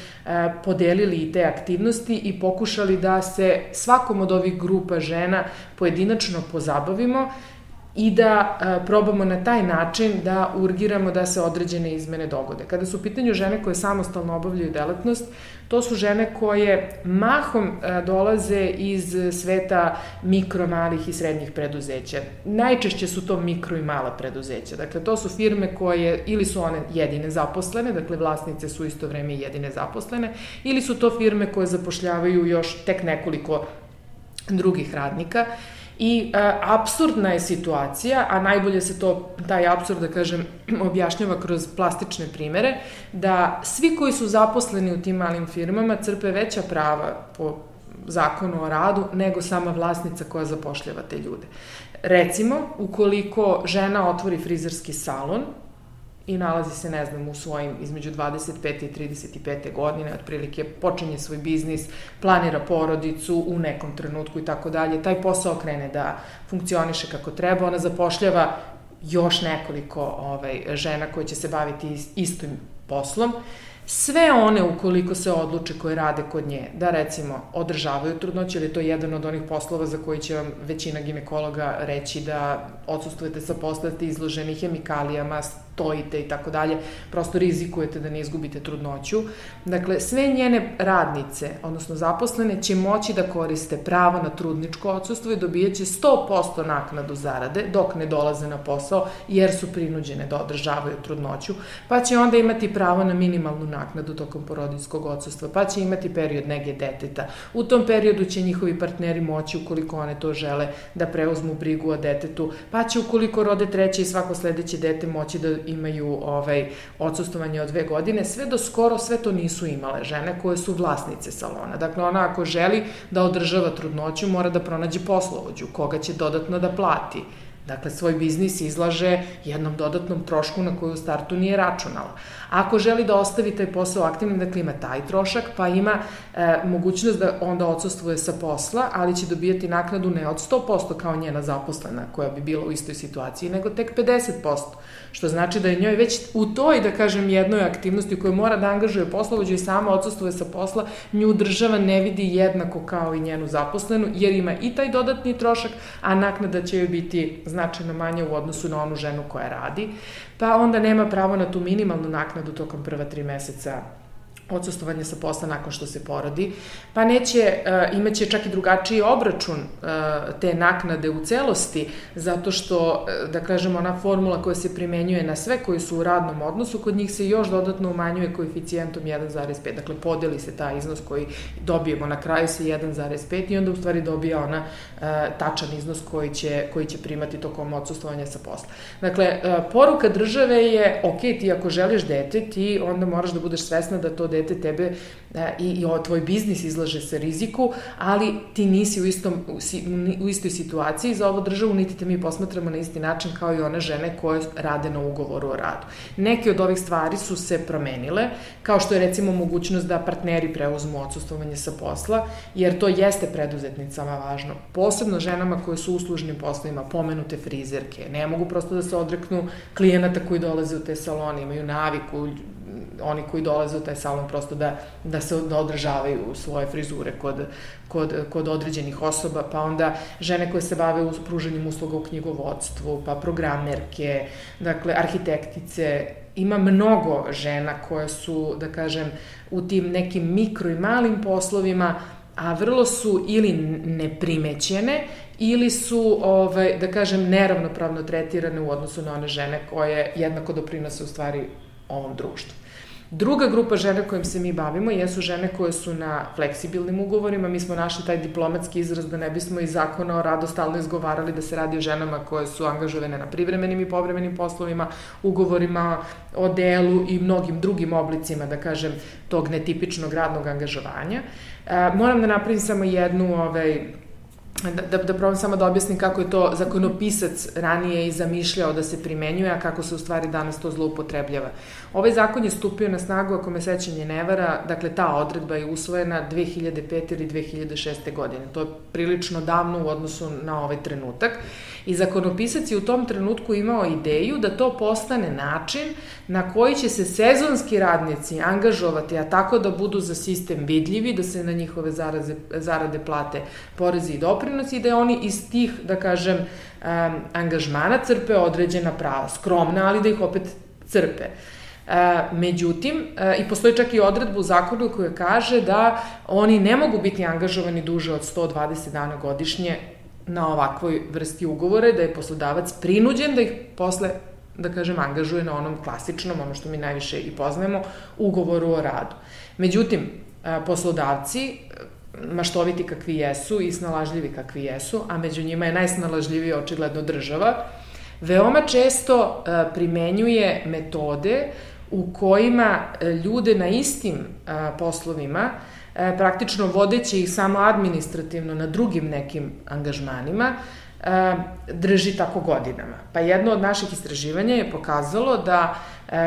podelili i te aktivnosti i pokušali da se svakom od ovih grupa žena pojedinačno pozabavimo i da a, probamo na taj način da urgiramo da se određene izmene dogode. Kada su u pitanju žene koje samostalno obavljaju delatnost, to su žene koje mahom a, dolaze iz sveta mikro, malih i srednjih preduzeća. Najčešće su to mikro i mala preduzeća. Dakle, to su firme koje, ili su one jedine zaposlene, dakle, vlasnice su isto vreme jedine zaposlene, ili su to firme koje zapošljavaju još tek nekoliko drugih radnika. I e, apsurdna je situacija, a najbolje se to, taj apsurd, da kažem, objašnjava kroz plastične primere, da svi koji su zaposleni u tim malim firmama crpe veća prava po zakonu o radu nego sama vlasnica koja zapošljava te ljude. Recimo, ukoliko žena otvori frizerski salon i nalazi se, ne znam, u svojim između dvadeset pete i trideset pete godine, otprilike počinje svoj biznis, planira porodicu u nekom trenutku i tako dalje, taj posao krene da funkcioniše kako treba, ona zapošljava još nekoliko ovaj, žena koje će se baviti istim poslom. Sve one, ukoliko se odluče koje rade kod nje, da recimo održavaju trudnoću, jer je to jedan od onih poslova za koji će vam većina ginekologa reći da odsustujete sa posla, ste izloženi hemikalijama, stojite i tako dalje, prosto rizikujete da ne izgubite trudnoću. Dakle, sve njene radnice, odnosno zaposlene, će moći da koriste pravo na trudničko odsustvo i dobijat će sto posto naknadu zarade dok ne dolaze na posao, jer su prinuđene da održavaju trudnoću, pa će onda imati pravo na minimalnu naknadu tokom porodiljskog odsustva, pa će imati period nege deteta. U tom periodu će njihovi partneri moći, ukoliko one to žele, da preuzmu brigu o detetu, pa će ukoliko rode treće i svako sledeće dete moći da imaju ovaj, odsustovanje od dve godine. Sve do skoro sve to nisu imale žene koje su vlasnice salona. Dakle, ona ako želi da održava trudnoću, mora da pronađe poslovođu, koga će dodatno da plati. Dakle, svoj biznis izlaže jednom dodatnom trošku na koju u startu nije računala. Ako želi da ostavi taj posao aktivnim, dakle ima taj trošak, pa ima e, mogućnost da onda odsustvuje sa posla, ali će dobijati naknadu ne od sto posto kao njena zaposlena, koja bi bila u istoj situaciji, nego tek pedeset posto. Što znači da je njoj već u toj, da kažem, jednoj aktivnosti u kojoj mora da angažuje poslovođu i sama odsustvuje sa posla, nju država ne vidi jednako kao i njenu zaposlenu, jer ima i taj dodatni trošak, a naknada će joj biti značajno manja u odnosu na onu ženu koja radi, pa onda nema pravo na tu minimalnu naknadu tokom prva tri meseca odsustovanje sa posla nakon što se porodi, pa neće, uh, imaće čak i drugačiji obračun uh, te naknade u celosti, zato što, uh, da kažem, ona formula koja se primenjuje na sve koji su u radnom odnosu, kod njih se još dodatno umanjuje koeficijentom jedan zarez pet, dakle podeli se taj iznos koji dobijemo na kraju sa jedan zarez pet i onda u stvari dobija ona uh, tačan iznos koji će, koji će primati tokom odsustovanja sa posla. Dakle, uh, poruka države je, ok, ti ako želiš dete, ti onda moraš da budeš svesna da to dete tebe i, i tvoj biznis izlaže se riziku, ali ti nisi u, istom, u istoj situaciji za ovu državu, niti te mi posmatramo na isti način kao i one žene koje rade na ugovoru o radu. Neke od ovih stvari su se promenile, kao što je recimo mogućnost da partneri preuzmu odsustvovanje sa posla, jer to jeste preduzetnicama važno. Posebno ženama koje su u uslužnim poslovima, pomenute frizerke, ne mogu prosto da se odreknu klijenata koji dolaze u te salone, imaju naviku, oni koji dolaze u taj salon prosto da, da se da održavaju svoje frizure kod, kod, kod određenih osoba, pa onda žene koje se bave u pružanjem usluga u knjigovodstvu, pa programerke, dakle, arhitektice. Ima mnogo žena koje su, da kažem, u tim nekim mikro i malim poslovima, a vrlo su ili neprimećene ili su, ovaj, da kažem, neravnopravno tretirane u odnosu na one žene koje jednako doprinose u stvari ovom društvu. Druga grupa žena kojim se mi bavimo jesu žene koje su na fleksibilnim ugovorima. Mi smo našli taj diplomatski izraz da ne bismo iz zakona o radu stalno izgovarali da se radi o ženama koje su angažovane na privremenim i povremenim poslovima, ugovorima o delu i mnogim drugim oblicima, da kažem, tog netipičnog radnog angažovanja. E, moram da napravim samo jednu ovaj, Da, da, da probam samo da objasnim kako je to zakonopisac ranije i zamišljao da se primenjuje, a kako se u stvari danas to zloupotrebljava. Ovaj zakon je stupio na snagu, ako me sećanje ne vara, dakle ta odredba je usvojena dve hiljade pete ili dve hiljade šeste godine. To je prilično davno u odnosu na ovaj trenutak. I zakonopisac je u tom trenutku imao ideju da to postane način na koji će se sezonski radnici angažovati, a tako da budu za sistem vidljivi, da se na njihove zaraze, zarade plate porezi i doprinosi i da oni iz tih, da kažem, um, angažmana crpe određena prava, skromna, ali da ih opet crpe. Uh, međutim, uh, i postoji čak i odredba u zakonu koja kaže da oni ne mogu biti angažovani duže od sto dvadeset dana godišnje na ovakvoj vrsti ugovore, da je poslodavac prinuđen da ih posle, da kažem, angažuje na onom klasičnom, ono što mi najviše i poznajemo, ugovoru o radu. Međutim, uh, poslodavci, maštoviti kakvi jesu i snalažljivi kakvi jesu, a među njima je najsnalažljivija očigledno država, veoma često primenjuje metode u kojima ljude na istim poslovima, praktično vodeći ih samo administrativno na drugim nekim angažmanima, drži tako godinama. Pa jedno od naših istraživanja je pokazalo da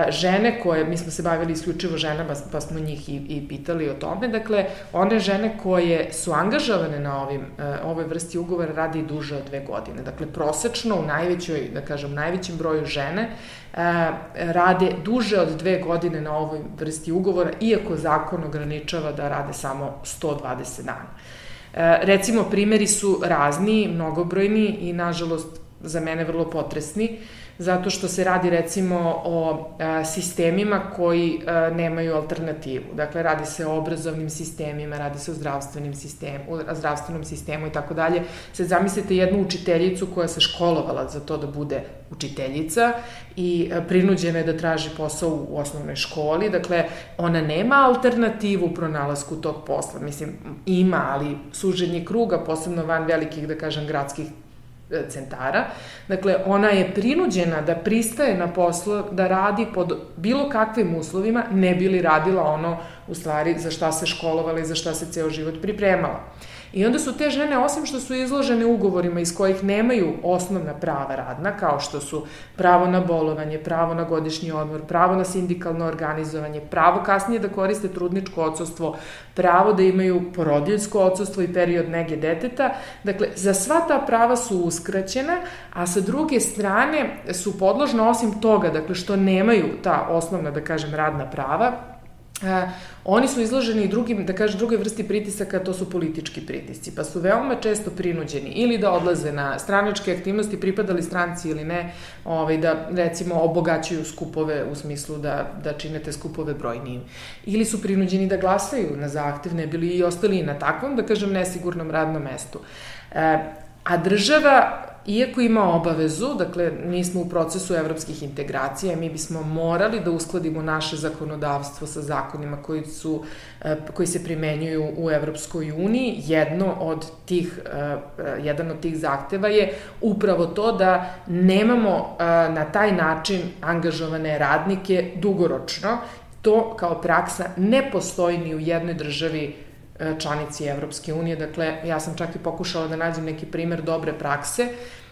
žene koje, mi smo se bavili isključivo ženama, pa smo njih i, i pitali o tome, dakle, one žene koje su angažovane na ovim, ovoj vrsti ugovora radi i duže od dve godine. Dakle, prosečno u najvećoj, da kažem, najvećem broju žene rade duže od dve godine na ovoj vrsti ugovora, iako zakon ograničava da rade samo sto dvadeset dana. Recimo, primeri su razni, mnogobrojni i, nažalost, za mene vrlo potresni, zato što se radi recimo o a, sistemima koji a, nemaju alternativu. Dakle, radi se o obrazovnim sistemima, radi se o zdravstvenim sistemu, o zdravstvenom sistemu i tako dalje. Sad zamislite jednu učiteljicu koja se školovala za to da bude učiteljica i a, prinuđena je da traži posao u osnovnoj školi. Dakle, ona nema alternativu u pronalasku tog posla. Mislim, ima, ali suženje kruga, posebno van velikih, da kažem, gradskih centara. Dakle, ona je prinuđena da pristaje na posao, da radi pod bilo kakvim uslovima, ne bi li radila ono, u stvari, za šta se školovala i za šta se ceo život pripremala. I onda su te žene, osim što su izložene ugovorima iz kojih nemaju osnovna prava radna, kao što su pravo na bolovanje, pravo na godišnji odmor, pravo na sindikalno organizovanje, pravo kasnije da koriste trudničko odsustvo, pravo da imaju porodiljsko odsustvo i period nege deteta. Dakle, za sva ta prava su uskraćena, a sa druge strane su podložne osim toga, dakle, što nemaju ta osnovna, da kažem, radna prava, Uh, oni su izloženi i drugim, da kažem, drugoj vrsti pritisaka, to su politički pritisci, pa su veoma često prinuđeni ili da odlaze na stranačke aktivnosti, pripadali stranci ili ne, ovaj, da recimo obogaćuju skupove u smislu da, da čine te skupove brojnijim. Ili su prinuđeni da glasaju na zahtev, ne bili i ostali na takvom, da kažem, nesigurnom radnom mestu. Uh, a država, iako ima obavezu, dakle, mi smo u procesu evropskih integracija, mi bismo morali da uskladimo naše zakonodavstvo sa zakonima koji su, koji se primenjuju u Evropskoj uniji. Jedno od tih, jedan od tih zahteva je upravo to da nemamo na taj način angažovane radnike dugoročno. To kao praksa ne postoji ni u jednoj državi članici Evropske unije. Dakle, ja sam čak i pokušala da nađem neki primer dobre prakse,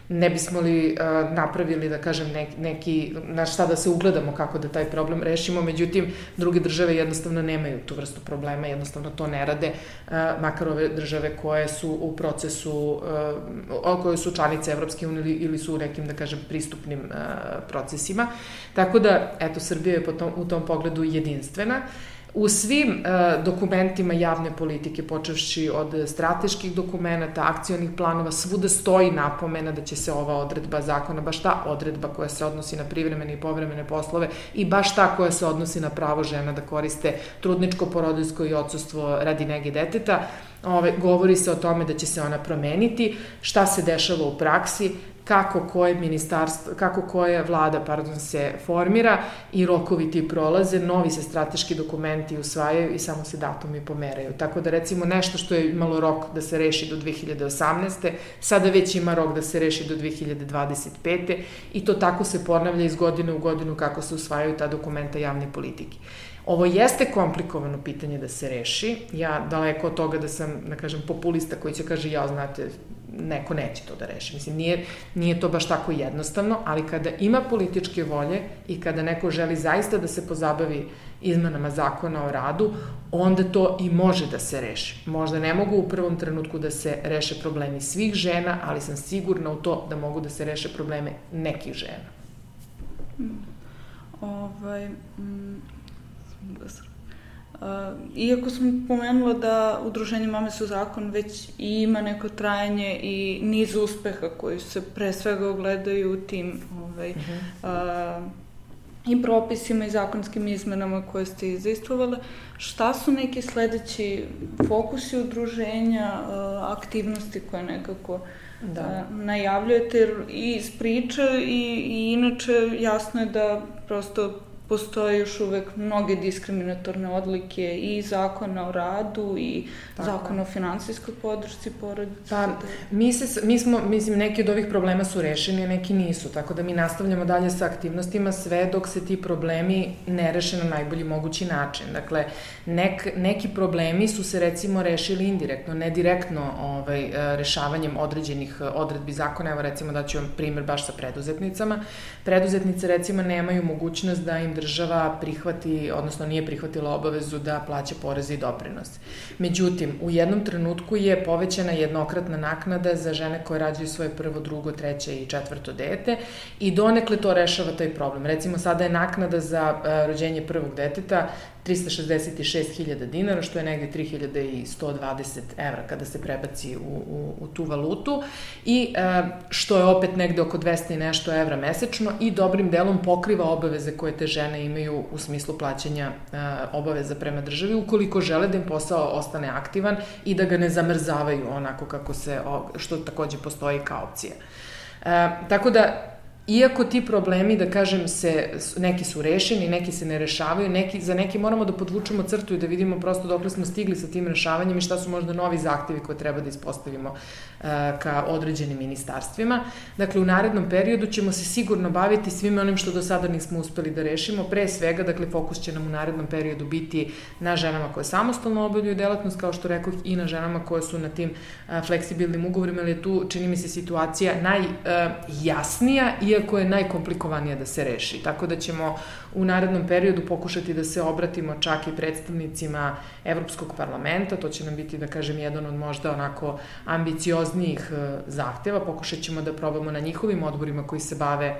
ne bismo li uh, napravili, da kažem, neki, na šta da se ugledamo kako da taj problem rešimo, međutim, druge države jednostavno nemaju tu vrstu problema, jednostavno to ne rade, uh, makar ove države koje su u procesu, uh, koje su članice Evropske unije ili, ili su u nekim, da kažem, pristupnim uh, procesima. Tako da, eto, Srbija je po tom, u tom pogledu jedinstvena. U svim uh, dokumentima javne politike, počevši od strateških dokumenta, akcionih planova, svuda stoji napomena da će se ova odredba zakona, baš ta odredba koja se odnosi na privremene i povremene poslove i baš ta koja se odnosi na pravo žena da koriste trudničko, porodiljsko i odsustvo radi nege deteta, ove, govori se o tome da će se ona promeniti, šta se dešava u praksi, kako koje ministarstvo, kako koja vlada, pardon, se formira i rokovi ti prolaze, novi se strateški dokumenti usvajaju i samo se datumi pomeraju. Tako da, recimo, nešto što je imalo rok da se reši do dve hiljade osamnaeste. sada već ima rok da se reši do dve hiljade dvadeset pete. i to tako se ponavlja iz godine u godinu kako se usvajaju ta dokumenta javne politike. Ovo jeste komplikovano pitanje da se reši. Ja daleko od toga da sam, da kažem, populista koji će kaže, ja, znate, neko neće to da reši. Mislim, nije, nije to baš tako jednostavno, ali kada ima političke volje i kada neko želi zaista da se pozabavi izmenama zakona o radu, onda to i može da se reši. Možda ne mogu u prvom trenutku da se reše problemi svih žena, ali sam sigurna u to da mogu da se reše probleme nekih žena. Mm. Ovaj... Mm. Uh, iako sam pomenula da Udruženje Mame su zakon već i ima neko trajanje i niz uspeha koji se pre svega ogledaju u tim ovaj, uh-huh. uh, i propisima i zakonskim izmenama koje ste izaistovale, šta su neki sledeći fokusi udruženja, uh, aktivnosti koje nekako da. uh, najavljujete, jer i iz priče i, i inače jasno je da prosto postoje još uvek mnoge diskriminatorne odlike i zakona o radu i tako. Zakona o finansijskoj podršci porodice. Pa, mi, se, mi smo, mislim, neki od ovih problema su rešeni, a neki nisu, tako da mi nastavljamo dalje sa aktivnostima sve dok se ti problemi ne reše na najbolji mogući način. Dakle, nek, neki problemi su se recimo rešili indirektno, ne direktno ovaj, rešavanjem određenih odredbi zakona. Evo recimo da ću vam primjer baš sa preduzetnicama. Preduzetnice recimo nemaju mogućnost da im država prihvati, odnosno nije prihvatila obavezu da plaća poreze i doprinose. Međutim, u jednom trenutku je povećana jednokratna naknada za žene koje rađaju svoje prvo, drugo, treće i četvrto dete i donekle to rešava taj problem. Recimo, sada je naknada za rođenje prvog deteta trista šezdeset šest hiljada dinara, što je negde tri hiljade sto dvadeset evra kada se prebaci u, u, u tu valutu i e, što je opet negde oko dvesta i nešto evra mesečno i dobrim delom pokriva obaveze koje te žene imaju u smislu plaćanja e, obaveza prema državi, ukoliko žele da im posao ostane aktivan i da ga ne zamrzavaju onako kako se, što takođe postoji kao opcija. E, tako da, iako ti problemi, da kažem, se, neki su rešeni, neki se ne rešavaju, neki, za neki moramo da podvučemo crtu i da vidimo prosto dokle smo stigli sa tim rešavanjem i šta su možda novi zahtevi koje treba da ispostavimo uh, ka određenim ministarstvima. Dakle, u narednom periodu ćemo se sigurno baviti svime onim što do sada nismo uspeli da rešimo. Pre svega, dakle, fokus će nam u narednom periodu biti na ženama koje samostalno obavljaju delatnost, kao što rekoh, i na ženama koje su na tim uh, fleksibilnim ugovorima, ali je tu, čini mi se, situacija najjasnija uh, i iako je najkomplikovanije da se reši. Tako da ćemo u narednom periodu pokušati da se obratimo čak i predstavnicima Evropskog parlamenta, to će nam biti, da kažem, jedan od možda onako ambicioznijih zahteva. Pokušat ćemo da probamo na njihovim odborima koji se bave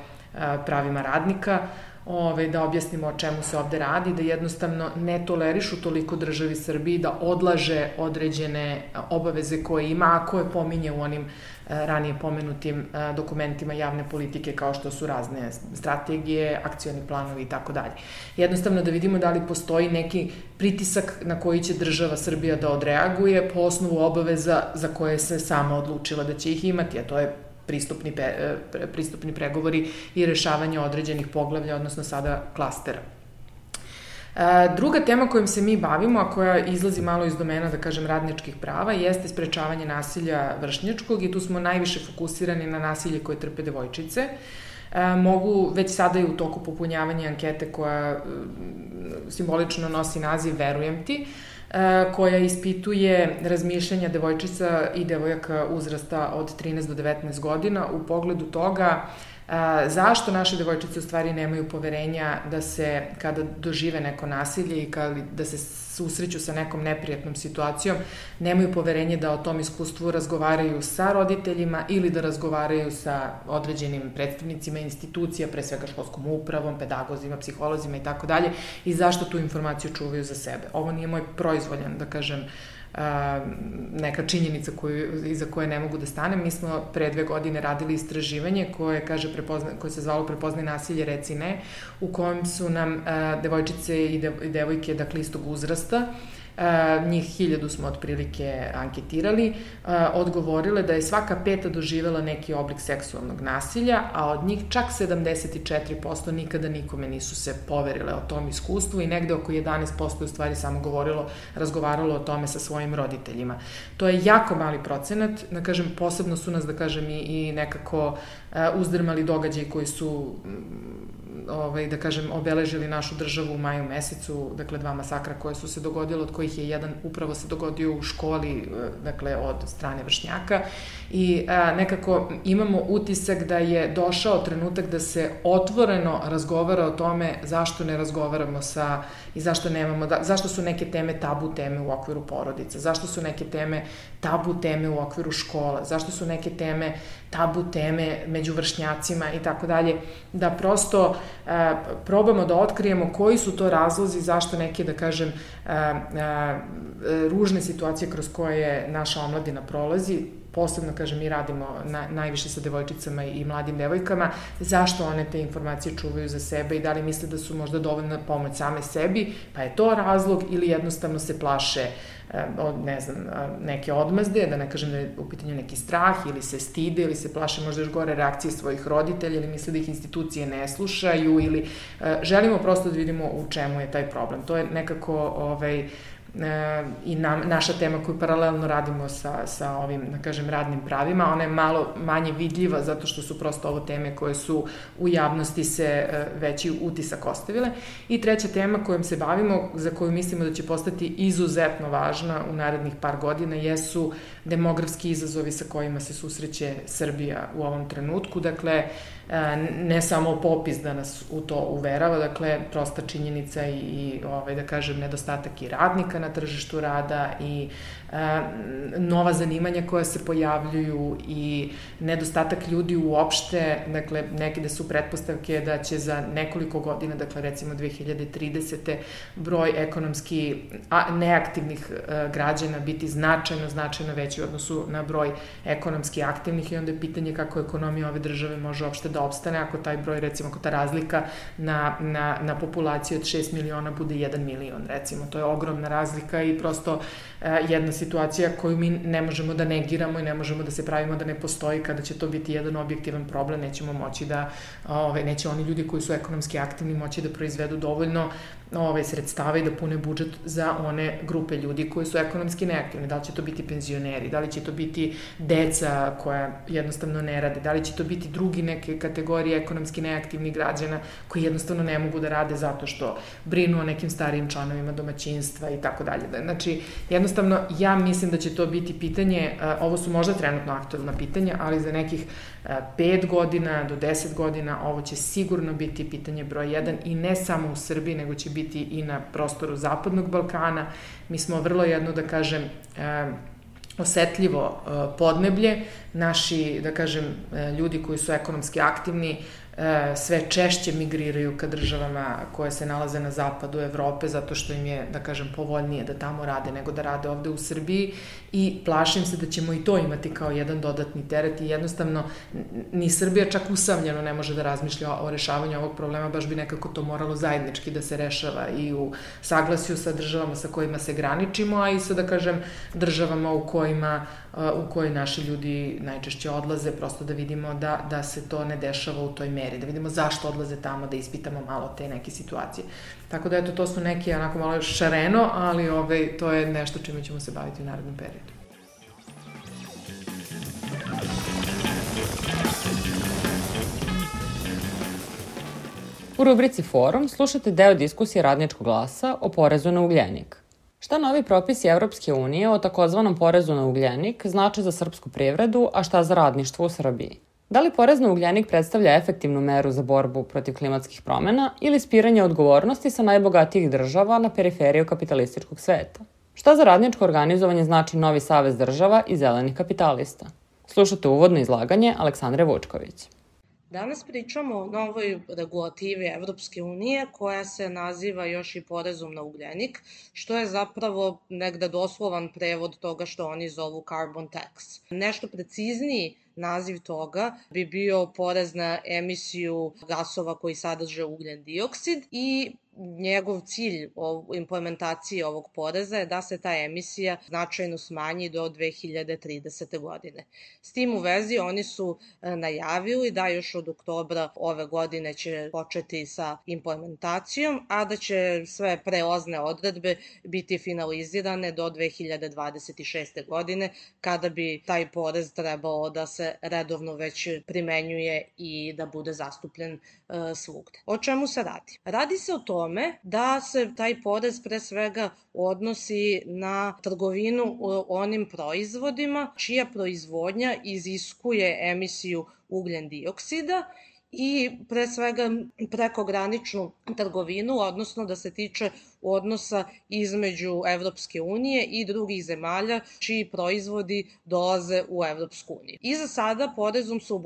pravima radnika, Ove, da objasnimo o čemu se ovde radi, da jednostavno ne tolerišu toliko državi Srbiji da odlaže određene obaveze koje ima, a koje pominje u onim ranije pomenutim dokumentima javne politike kao što su razne strategije, akcioni planovi i tako dalje. Jednostavno da vidimo da li postoji neki pritisak na koji će država Srbija da odreaguje po osnovu obaveza za koje se sama odlučila da će ih imati, a to je pristupni, pristupni pregovori i rešavanje određenih poglavlja, odnosno sada klastera. Druga tema kojom se mi bavimo, a koja izlazi malo iz domena, da kažem, radničkih prava, jeste sprečavanje nasilja vršnjačkog i tu smo najviše fokusirani na nasilje koje trpe devojčice. Mogu, već sada je u toku popunjavanja ankete koja simbolično nosi naziv Verujem ti, koja ispituje razmišljanja devojčica i devojaka uzrasta od trinaest do devetnaest godina u pogledu toga zašto naše devojčice u stvari nemaju poverenja da se, kada dožive neko nasilje i kada, da se susreću sa nekom neprijatnom situacijom, nemaju poverenje da o tom iskustvu razgovaraju sa roditeljima ili da razgovaraju sa određenim predstavnicima institucija, pre svega školskom upravom, pedagozima, psiholozima i tako dalje, i zašto tu informaciju čuvaju za sebe. Ovo nije moj proizvoljan, da kažem, neka činjenica koju, iza koje ne mogu da stanem. Mi smo pre dve godine radili istraživanje koje, kaže, prepozna, koje se zvalo Prepoznaj nasilje, reci ne, u kojem su nam uh, devojčice i, de, i devojke, dakle, istog uzrasta, Uh, njih hiljadu smo otprilike anketirali, uh, odgovorile da je svaka peta doživela neki oblik seksualnog nasilja, a od njih čak sedamdeset četiri posto nikada nikome nisu se poverile o tom iskustvu i negde oko jedanaest posto u stvari samo govorilo, razgovaralo o tome sa svojim roditeljima. To je jako mali procenat, da kažem, posebno su nas, da kažem, i, i nekako uh, uzdrmali događaj koji su ovaj, da kažem, obeležili našu državu u maju mesecu, dakle dva masakra koje su se dogodile, od kojih je jedan upravo se dogodio u školi, dakle od strane vršnjaka, i a, nekako imamo utisak da je došao trenutak da se otvoreno razgovara o tome zašto ne razgovaramo sa i zašto nemamo, da, zašto su neke teme tabu teme u okviru porodica, zašto su neke teme tabu teme u okviru škola, zašto su neke teme tabu teme među vršnjacima i tako dalje, da prosto a, probamo da otkrijemo koji su to razlozi zašto neke, da kažem, a, a, ružne situacije kroz koje naša omladina prolazi posebno, kažem, mi radimo na, najviše sa devojčicama i mladim devojkama, zašto one te informacije čuvaju za sebe i da li misle da su možda dovoljna pomoć same sebi, pa je to razlog ili jednostavno se plaše od, ne znam, neke odmazde, da ne kažem da je u pitanju neki strah ili se stide ili se plaše možda još gore reakcije svojih roditelja ili misle da ih institucije ne slušaju ili želimo prosto da vidimo u čemu je taj problem. To je nekako ovaj, i na, naša tema koju paralelno radimo sa, sa ovim, da kažem, radnim pravima. Ona je malo manje vidljiva zato što su prosto ovo teme koje su u javnosti se veći utisak ostavile. I treća tema kojom se bavimo, za koju mislimo da će postati izuzetno važna u narednih par godina, jesu demografski izazovi sa kojima se susreće Srbija u ovom trenutku. Dakle, ne samo popis da nas u to uverava, dakle, prosta činjenica i, i ovaj, da kažem, nedostatak i radnika na tržištu rada i e, nova zanimanja koja se pojavljuju i nedostatak ljudi uopšte, dakle, nekde su pretpostavke da će za nekoliko godina, dakle, recimo dve hiljade tridesete broj ekonomski a, neaktivnih e, građana biti značajno, značajno veći u odnosu na broj ekonomski aktivnih i onda je pitanje kako ekonomija ove države može uopšte da opstane ako taj broj, recimo, ako ta razlika na, na, na populaciju od šest miliona bude jedan milion, recimo. To je ogromna razlika i prosto e, jedna situacija koju mi ne možemo da negiramo i ne možemo da se pravimo da ne postoji. Kada će to biti jedan objektivan problem, nećemo moći da, ove, neće oni ljudi koji su ekonomski aktivni moći da proizvedu dovoljno ove, sredstava i da pune budžet za one grupe ljudi koji su ekonomski neaktivni. Da li će to biti penzioneri, da li će to biti deca koja jednostavno ne rade, da li će to biti drugi neke kategorije ekonomski neaktivnih građana koji jednostavno ne mogu da rade zato što brinu o nekim starijim članovima domaćinstva i tako dalje. Znači, jednostavno, ja mislim da će to biti pitanje, ovo su možda trenutno aktuelna pitanja, ali za nekih pet godina do deset godina ovo će sigurno biti pitanje broj jedan i ne samo u Srbiji, nego će biti i na prostoru Zapadnog Balkana. Mi smo vrlo jedno, da kažem, osetljivo podneblje. Naši, da kažem, ljudi koji su ekonomski aktivni sve češće migriraju ka državama koje se nalaze na zapadu Evrope zato što im je, da kažem, povoljnije da tamo rade nego da rade ovde u Srbiji i plašim se da ćemo i to imati kao jedan dodatni teret i jednostavno ni Srbija čak usamljeno ne može da razmišlja o rešavanju ovog problema, baš bi nekako to moralo zajednički da se rešava i u saglasju sa državama sa kojima se graničimo, a i sa, da kažem, državama u kojima u kojoj naši ljudi najčešće odlaze, prosto da vidimo da, da se to ne dešava u toj meri, da vidimo zašto odlaze tamo, da ispitamo malo te neke situacije. Tako da, eto, to su neke onako malo šareno, ali ove, to je nešto čime ćemo se baviti u narednom periodu. U rubrici Forum slušate deo diskusije Radničkog glasa o porezu na ugljenik. Šta novi propisi Evropske unije o takozvanom porezu na ugljenik znače za srpsku privredu, a šta za radništvo u Srbiji? Da li porez na ugljenik predstavlja efektivnu meru za borbu protiv klimatskih promena ili spiranje odgovornosti sa najbogatijih država na periferiju kapitalističkog sveta? Šta za radničko organizovanje znači novi savez država i zelenih kapitalista? Slušate uvodno izlaganje Aleksandre Vučković. Danas pričamo o novoj regulativi Evropske unije koja se naziva još i porezom na ugljenik, što je zapravo negde doslovan prevod toga što oni zovu carbon tax. Nešto precizniji naziv toga bi bio porez na emisiju gasova koji sadrže ugljen dioksid i njegov cilj implementacije ovog poreza je da se ta emisija značajno smanji do dve hiljade tridesete. godine. S tim u vezi oni su najavili da još od oktobra ove godine će početi sa implementacijom, a da će sve prelazne odredbe biti finalizirane do dve hiljade dvadeset šeste. godine, kada bi taj porez trebalo da se redovno već primenjuje i da bude zastupljen e, svugde. O čemu se radi? Radi se o tome da se taj porez pre svega odnosi na trgovinu onim proizvodima čija proizvodnja iziskuje emisiju ugljen dioksida i pre svega prekograničnu trgovinu, odnosno da se tiče odnosa između Evropske unije i drugih zemalja čiji proizvodi dolaze u Evropsku uniju. I za sada porezom su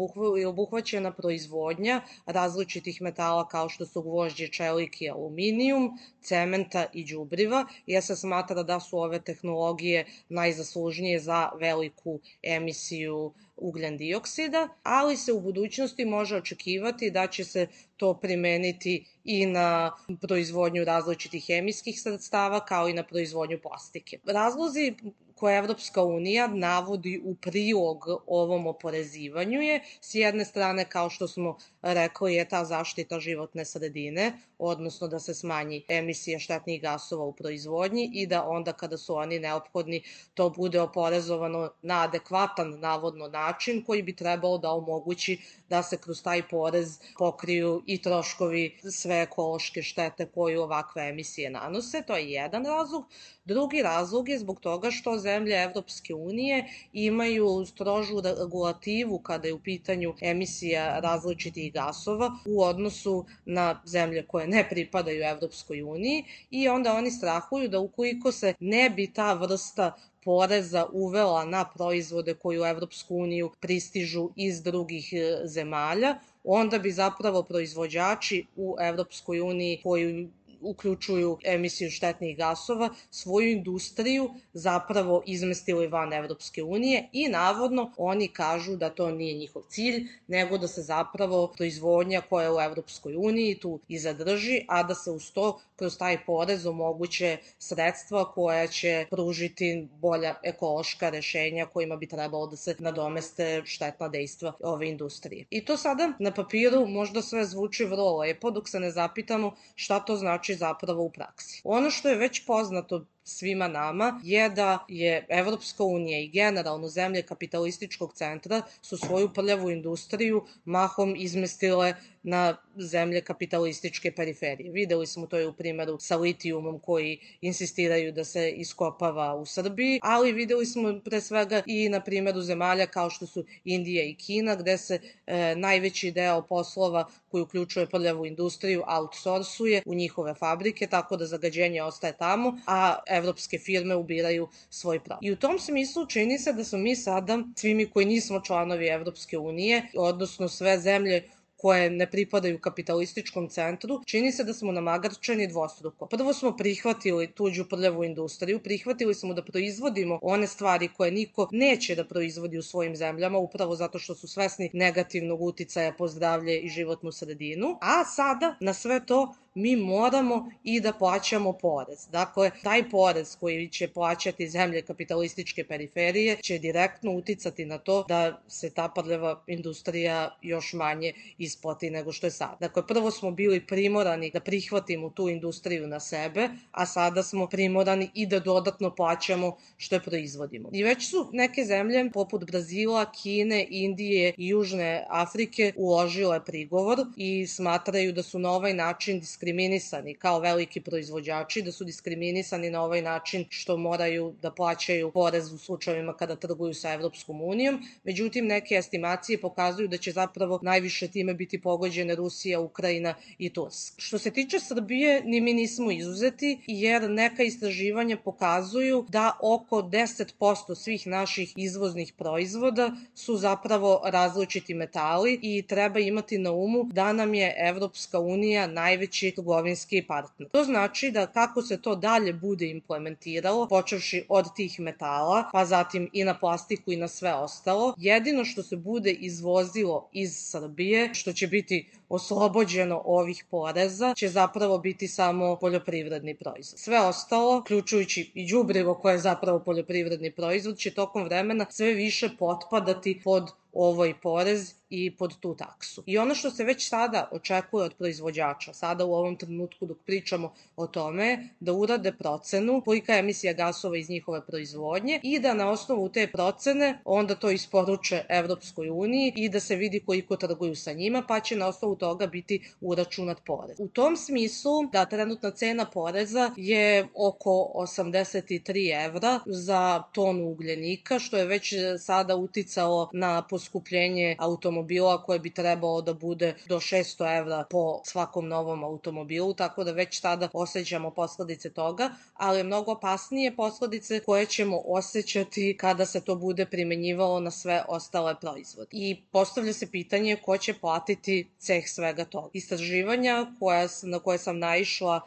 obuhvaćena proizvodnja različitih metala kao što su gvožđe, čelik i aluminijum, cementa i đubriva, jer se smatra da su ove tehnologije najzaslužnije za veliku emisiju ugljen dioksida, ali se u budućnosti može očekivati da će se to primeniti i na proizvodnju različitih hemijskih sredstava kao i na proizvodnju plastike. Razlozi koje Evropska unija navodi u prilog ovom oporezivanju je, s jedne strane, kao što smo rekli, je ta zaštita životne sredine, odnosno da se smanji emisija štetnih gasova u proizvodnji i da onda kada su oni neophodni to bude oporezovano na adekvatan navodno način koji bi trebalo da omogući da se kroz taj porez pokriju i troškovi sve ekološke štete koju ovakve emisije nanose. To je jedan razlog. Drugi razlog je zbog toga što zemlje Evropske unije imaju strožu regulativu kada je u pitanju emisija različitih gasova u odnosu na zemlje koje ne pripadaju Evropskoj uniji i onda oni strahuju da ukoliko se ne bi ta vrsta poreza uvela na proizvode koji u Evropsku uniju pristižu iz drugih zemalja, onda bi zapravo proizvođači u Evropskoj uniji koji uključuju emisiju štetnih gasova, svoju industriju zapravo izmestili van Evropske unije i navodno oni kažu da to nije njihov cilj, nego da se zapravo proizvodnja koja je u Evropskoj uniji tu i zadrži, a da se uz to kroz taj porez omoguće sredstva koja će pružiti bolja ekološka rešenja kojima bi trebalo da se nadomeste štetna dejstva ove industrije. I to sada na papiru možda sve zvuči vrlo lepo dok se ne zapitamo šta to znači zapravo u praksi. Ono što je već poznato svima nama je da je Evropska unija i generalno zemlje kapitalističkog centra su svoju prljavu industriju mahom izmestile na zemlje kapitalističke periferije. Videli smo to je u primeru sa litijumom koji insistiraju da se iskopava u Srbiji, ali videli smo pre svega i na primeru zemalja kao što su Indija i Kina, gde se e, najveći deo poslova koji uključuje prljavu industriju outsorsuje u njihove fabrike, tako da zagađenje ostaje tamo, a evropske firme ubiraju svoj pravo. I u tom smislu čini se da smo mi sada, svi mi koji nismo članovi Evropske unije, odnosno sve zemlje koje ne pripadaju kapitalističkom centru, čini se da smo namagarčeni dvostruko. Prvo smo prihvatili tuđu prljavu industriju, prihvatili smo da proizvodimo one stvari koje niko neće da proizvodi u svojim zemljama, upravo zato što su svesni negativnog uticaja po zdravlje i životnu sredinu, a sada na sve to mi moramo i da plaćamo porez. Dakle, taj porez koji će plaćati zemlje kapitalističke periferije će direktno uticati na to da se ta prljava industrija još manje isplati nego što je sad. Dakle, prvo smo bili primorani da prihvatimo tu industriju na sebe, a sada smo primorani i da dodatno plaćamo što je proizvodimo. I već su neke zemlje poput Brazila, Kine, Indije i Južne Afrike uložile prigovor i smatraju da su na ovaj način diskriminisani kao veliki proizvođači, da su diskriminisani na ovaj način što moraju da plaćaju porez u slučajevima kada trguju sa Evropskom unijom. Međutim, neke estimacije pokazuju da će zapravo najviše time biti pogođene Rusija, Ukrajina i Turska. Što se tiče Srbije, ni mi nismo izuzeti, jer neka istraživanja pokazuju da oko deset posto svih naših izvoznih proizvoda su zapravo različiti metali i treba imati na umu da nam je Evropska unija najveći trgovinski partner. To znači da kako se to dalje bude implementiralo, počevši od tih metala, pa zatim i na plastiku i na sve ostalo, jedino što se bude izvozilo iz Srbije, što će biti oslobođeno ovih poreza, će zapravo biti samo poljoprivredni proizvod. Sve ostalo, uključujući i đubrivo koje je zapravo poljoprivredni proizvod, će tokom vremena sve više potpadati pod ovaj porez i pod tu taksu. I ono što se već sada očekuje od proizvođača, sada u ovom trenutku dok pričamo o tome, da urade procenu kolika je emisija gasova iz njihove proizvodnje i da na osnovu te procene onda to isporuče Evropskoj uniji i da se vidi koliko trguju sa njima, pa će na osnovu toga biti uračunat porez. U tom smislu da trenutna cena poreza je oko osamdeset tri evra za tonu ugljenika, što je već sada uticalo na poskupljenje poskupljenje automobila koje bi trebalo da bude do šesto evra po svakom novom automobilu, tako da već tada osjećamo posledice toga, ali mnogo opasnije posledice koje ćemo osjećati kada se to bude primenjivalo na sve ostale proizvode. I postavlja se pitanje ko će platiti ceh svega toga. Istraživanja koja, na koje sam naišla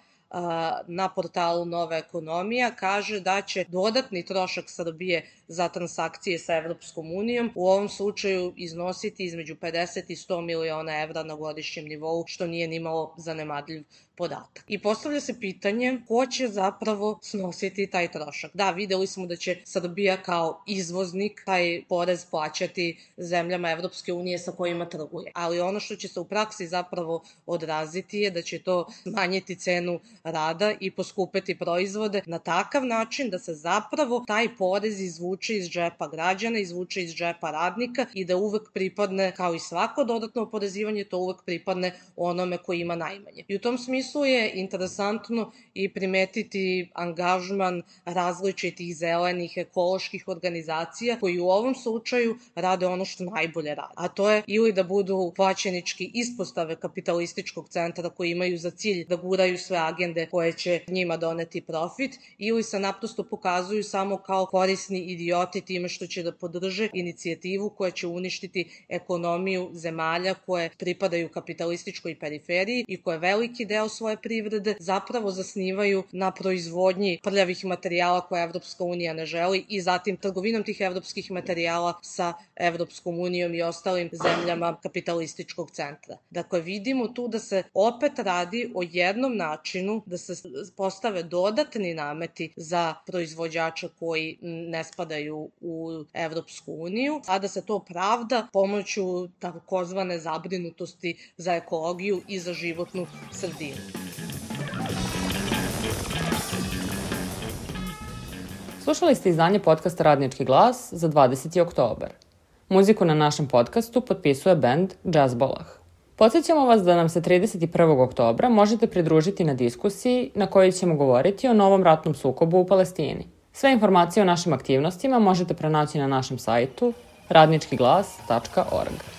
na portalu Nova ekonomija kaže da će dodatni trošak Srbije za transakcije sa Evropskom unijom u ovom slučaju iznositi između pedeset i sto miliona evra na godišnjem nivou, što nije nimalo zanemarljiv podatak. I postavlja se pitanje ko će zapravo snositi taj trošak. Da, videli smo da će Srbija kao izvoznik taj porez plaćati zemljama Evropske unije sa kojima trguje. Ali ono što će se u praksi zapravo odraziti je da će to smanjiti cenu rada i poskupeti proizvode na takav način da se zapravo taj porez izvuče iz džepa građana, izvuče iz džepa radnika i da uvek pripadne, kao i svako dodatno oporezivanje, to uvek pripadne onome koji ima najmanje. I u tom smislu je interesantno i primetiti angažman različitih zelenih ekoloških organizacija koji u ovom slučaju rade ono što najbolje rade. A to je ili da budu plaćenički ispostave kapitalističkog centra koji imaju za cilj da guraju sve agende koje će njima doneti profit, ili se naprosto pokazuju samo kao korisni idioti time što će da podrže inicijativu koja će uništiti ekonomiju zemalja koje pripadaju kapitalističkoj periferiji i koje veliki deo svoje privrede zapravo zasnivaju na proizvodnji prljavih materijala koje Evropska unija ne želi i zatim trgovinom tih evropskih materijala sa Evropskom unijom i ostalim zemljama kapitalističkog centra. Dakle, vidimo tu da se opet radi o jednom načinu da se postave dodatni nameti za proizvođača koji ne spadaju u Evropsku uniju, a da se to pravda pomoću takozvane zabrinutosti za ekologiju i za životnu sredinu. Slušali ste izdanje podcasta Radnički glas za dvadeseti oktobar. Muziku na našem podcastu potpisuje bend Jazzbolah. Podsjećamo vas da nam se trideset prvog oktobra možete pridružiti na diskusiji na kojoj ćemo govoriti o novom ratnom sukobu u Palestini. Sve informacije o našim aktivnostima možete pronaći na našem sajtu radnički glas tačka org.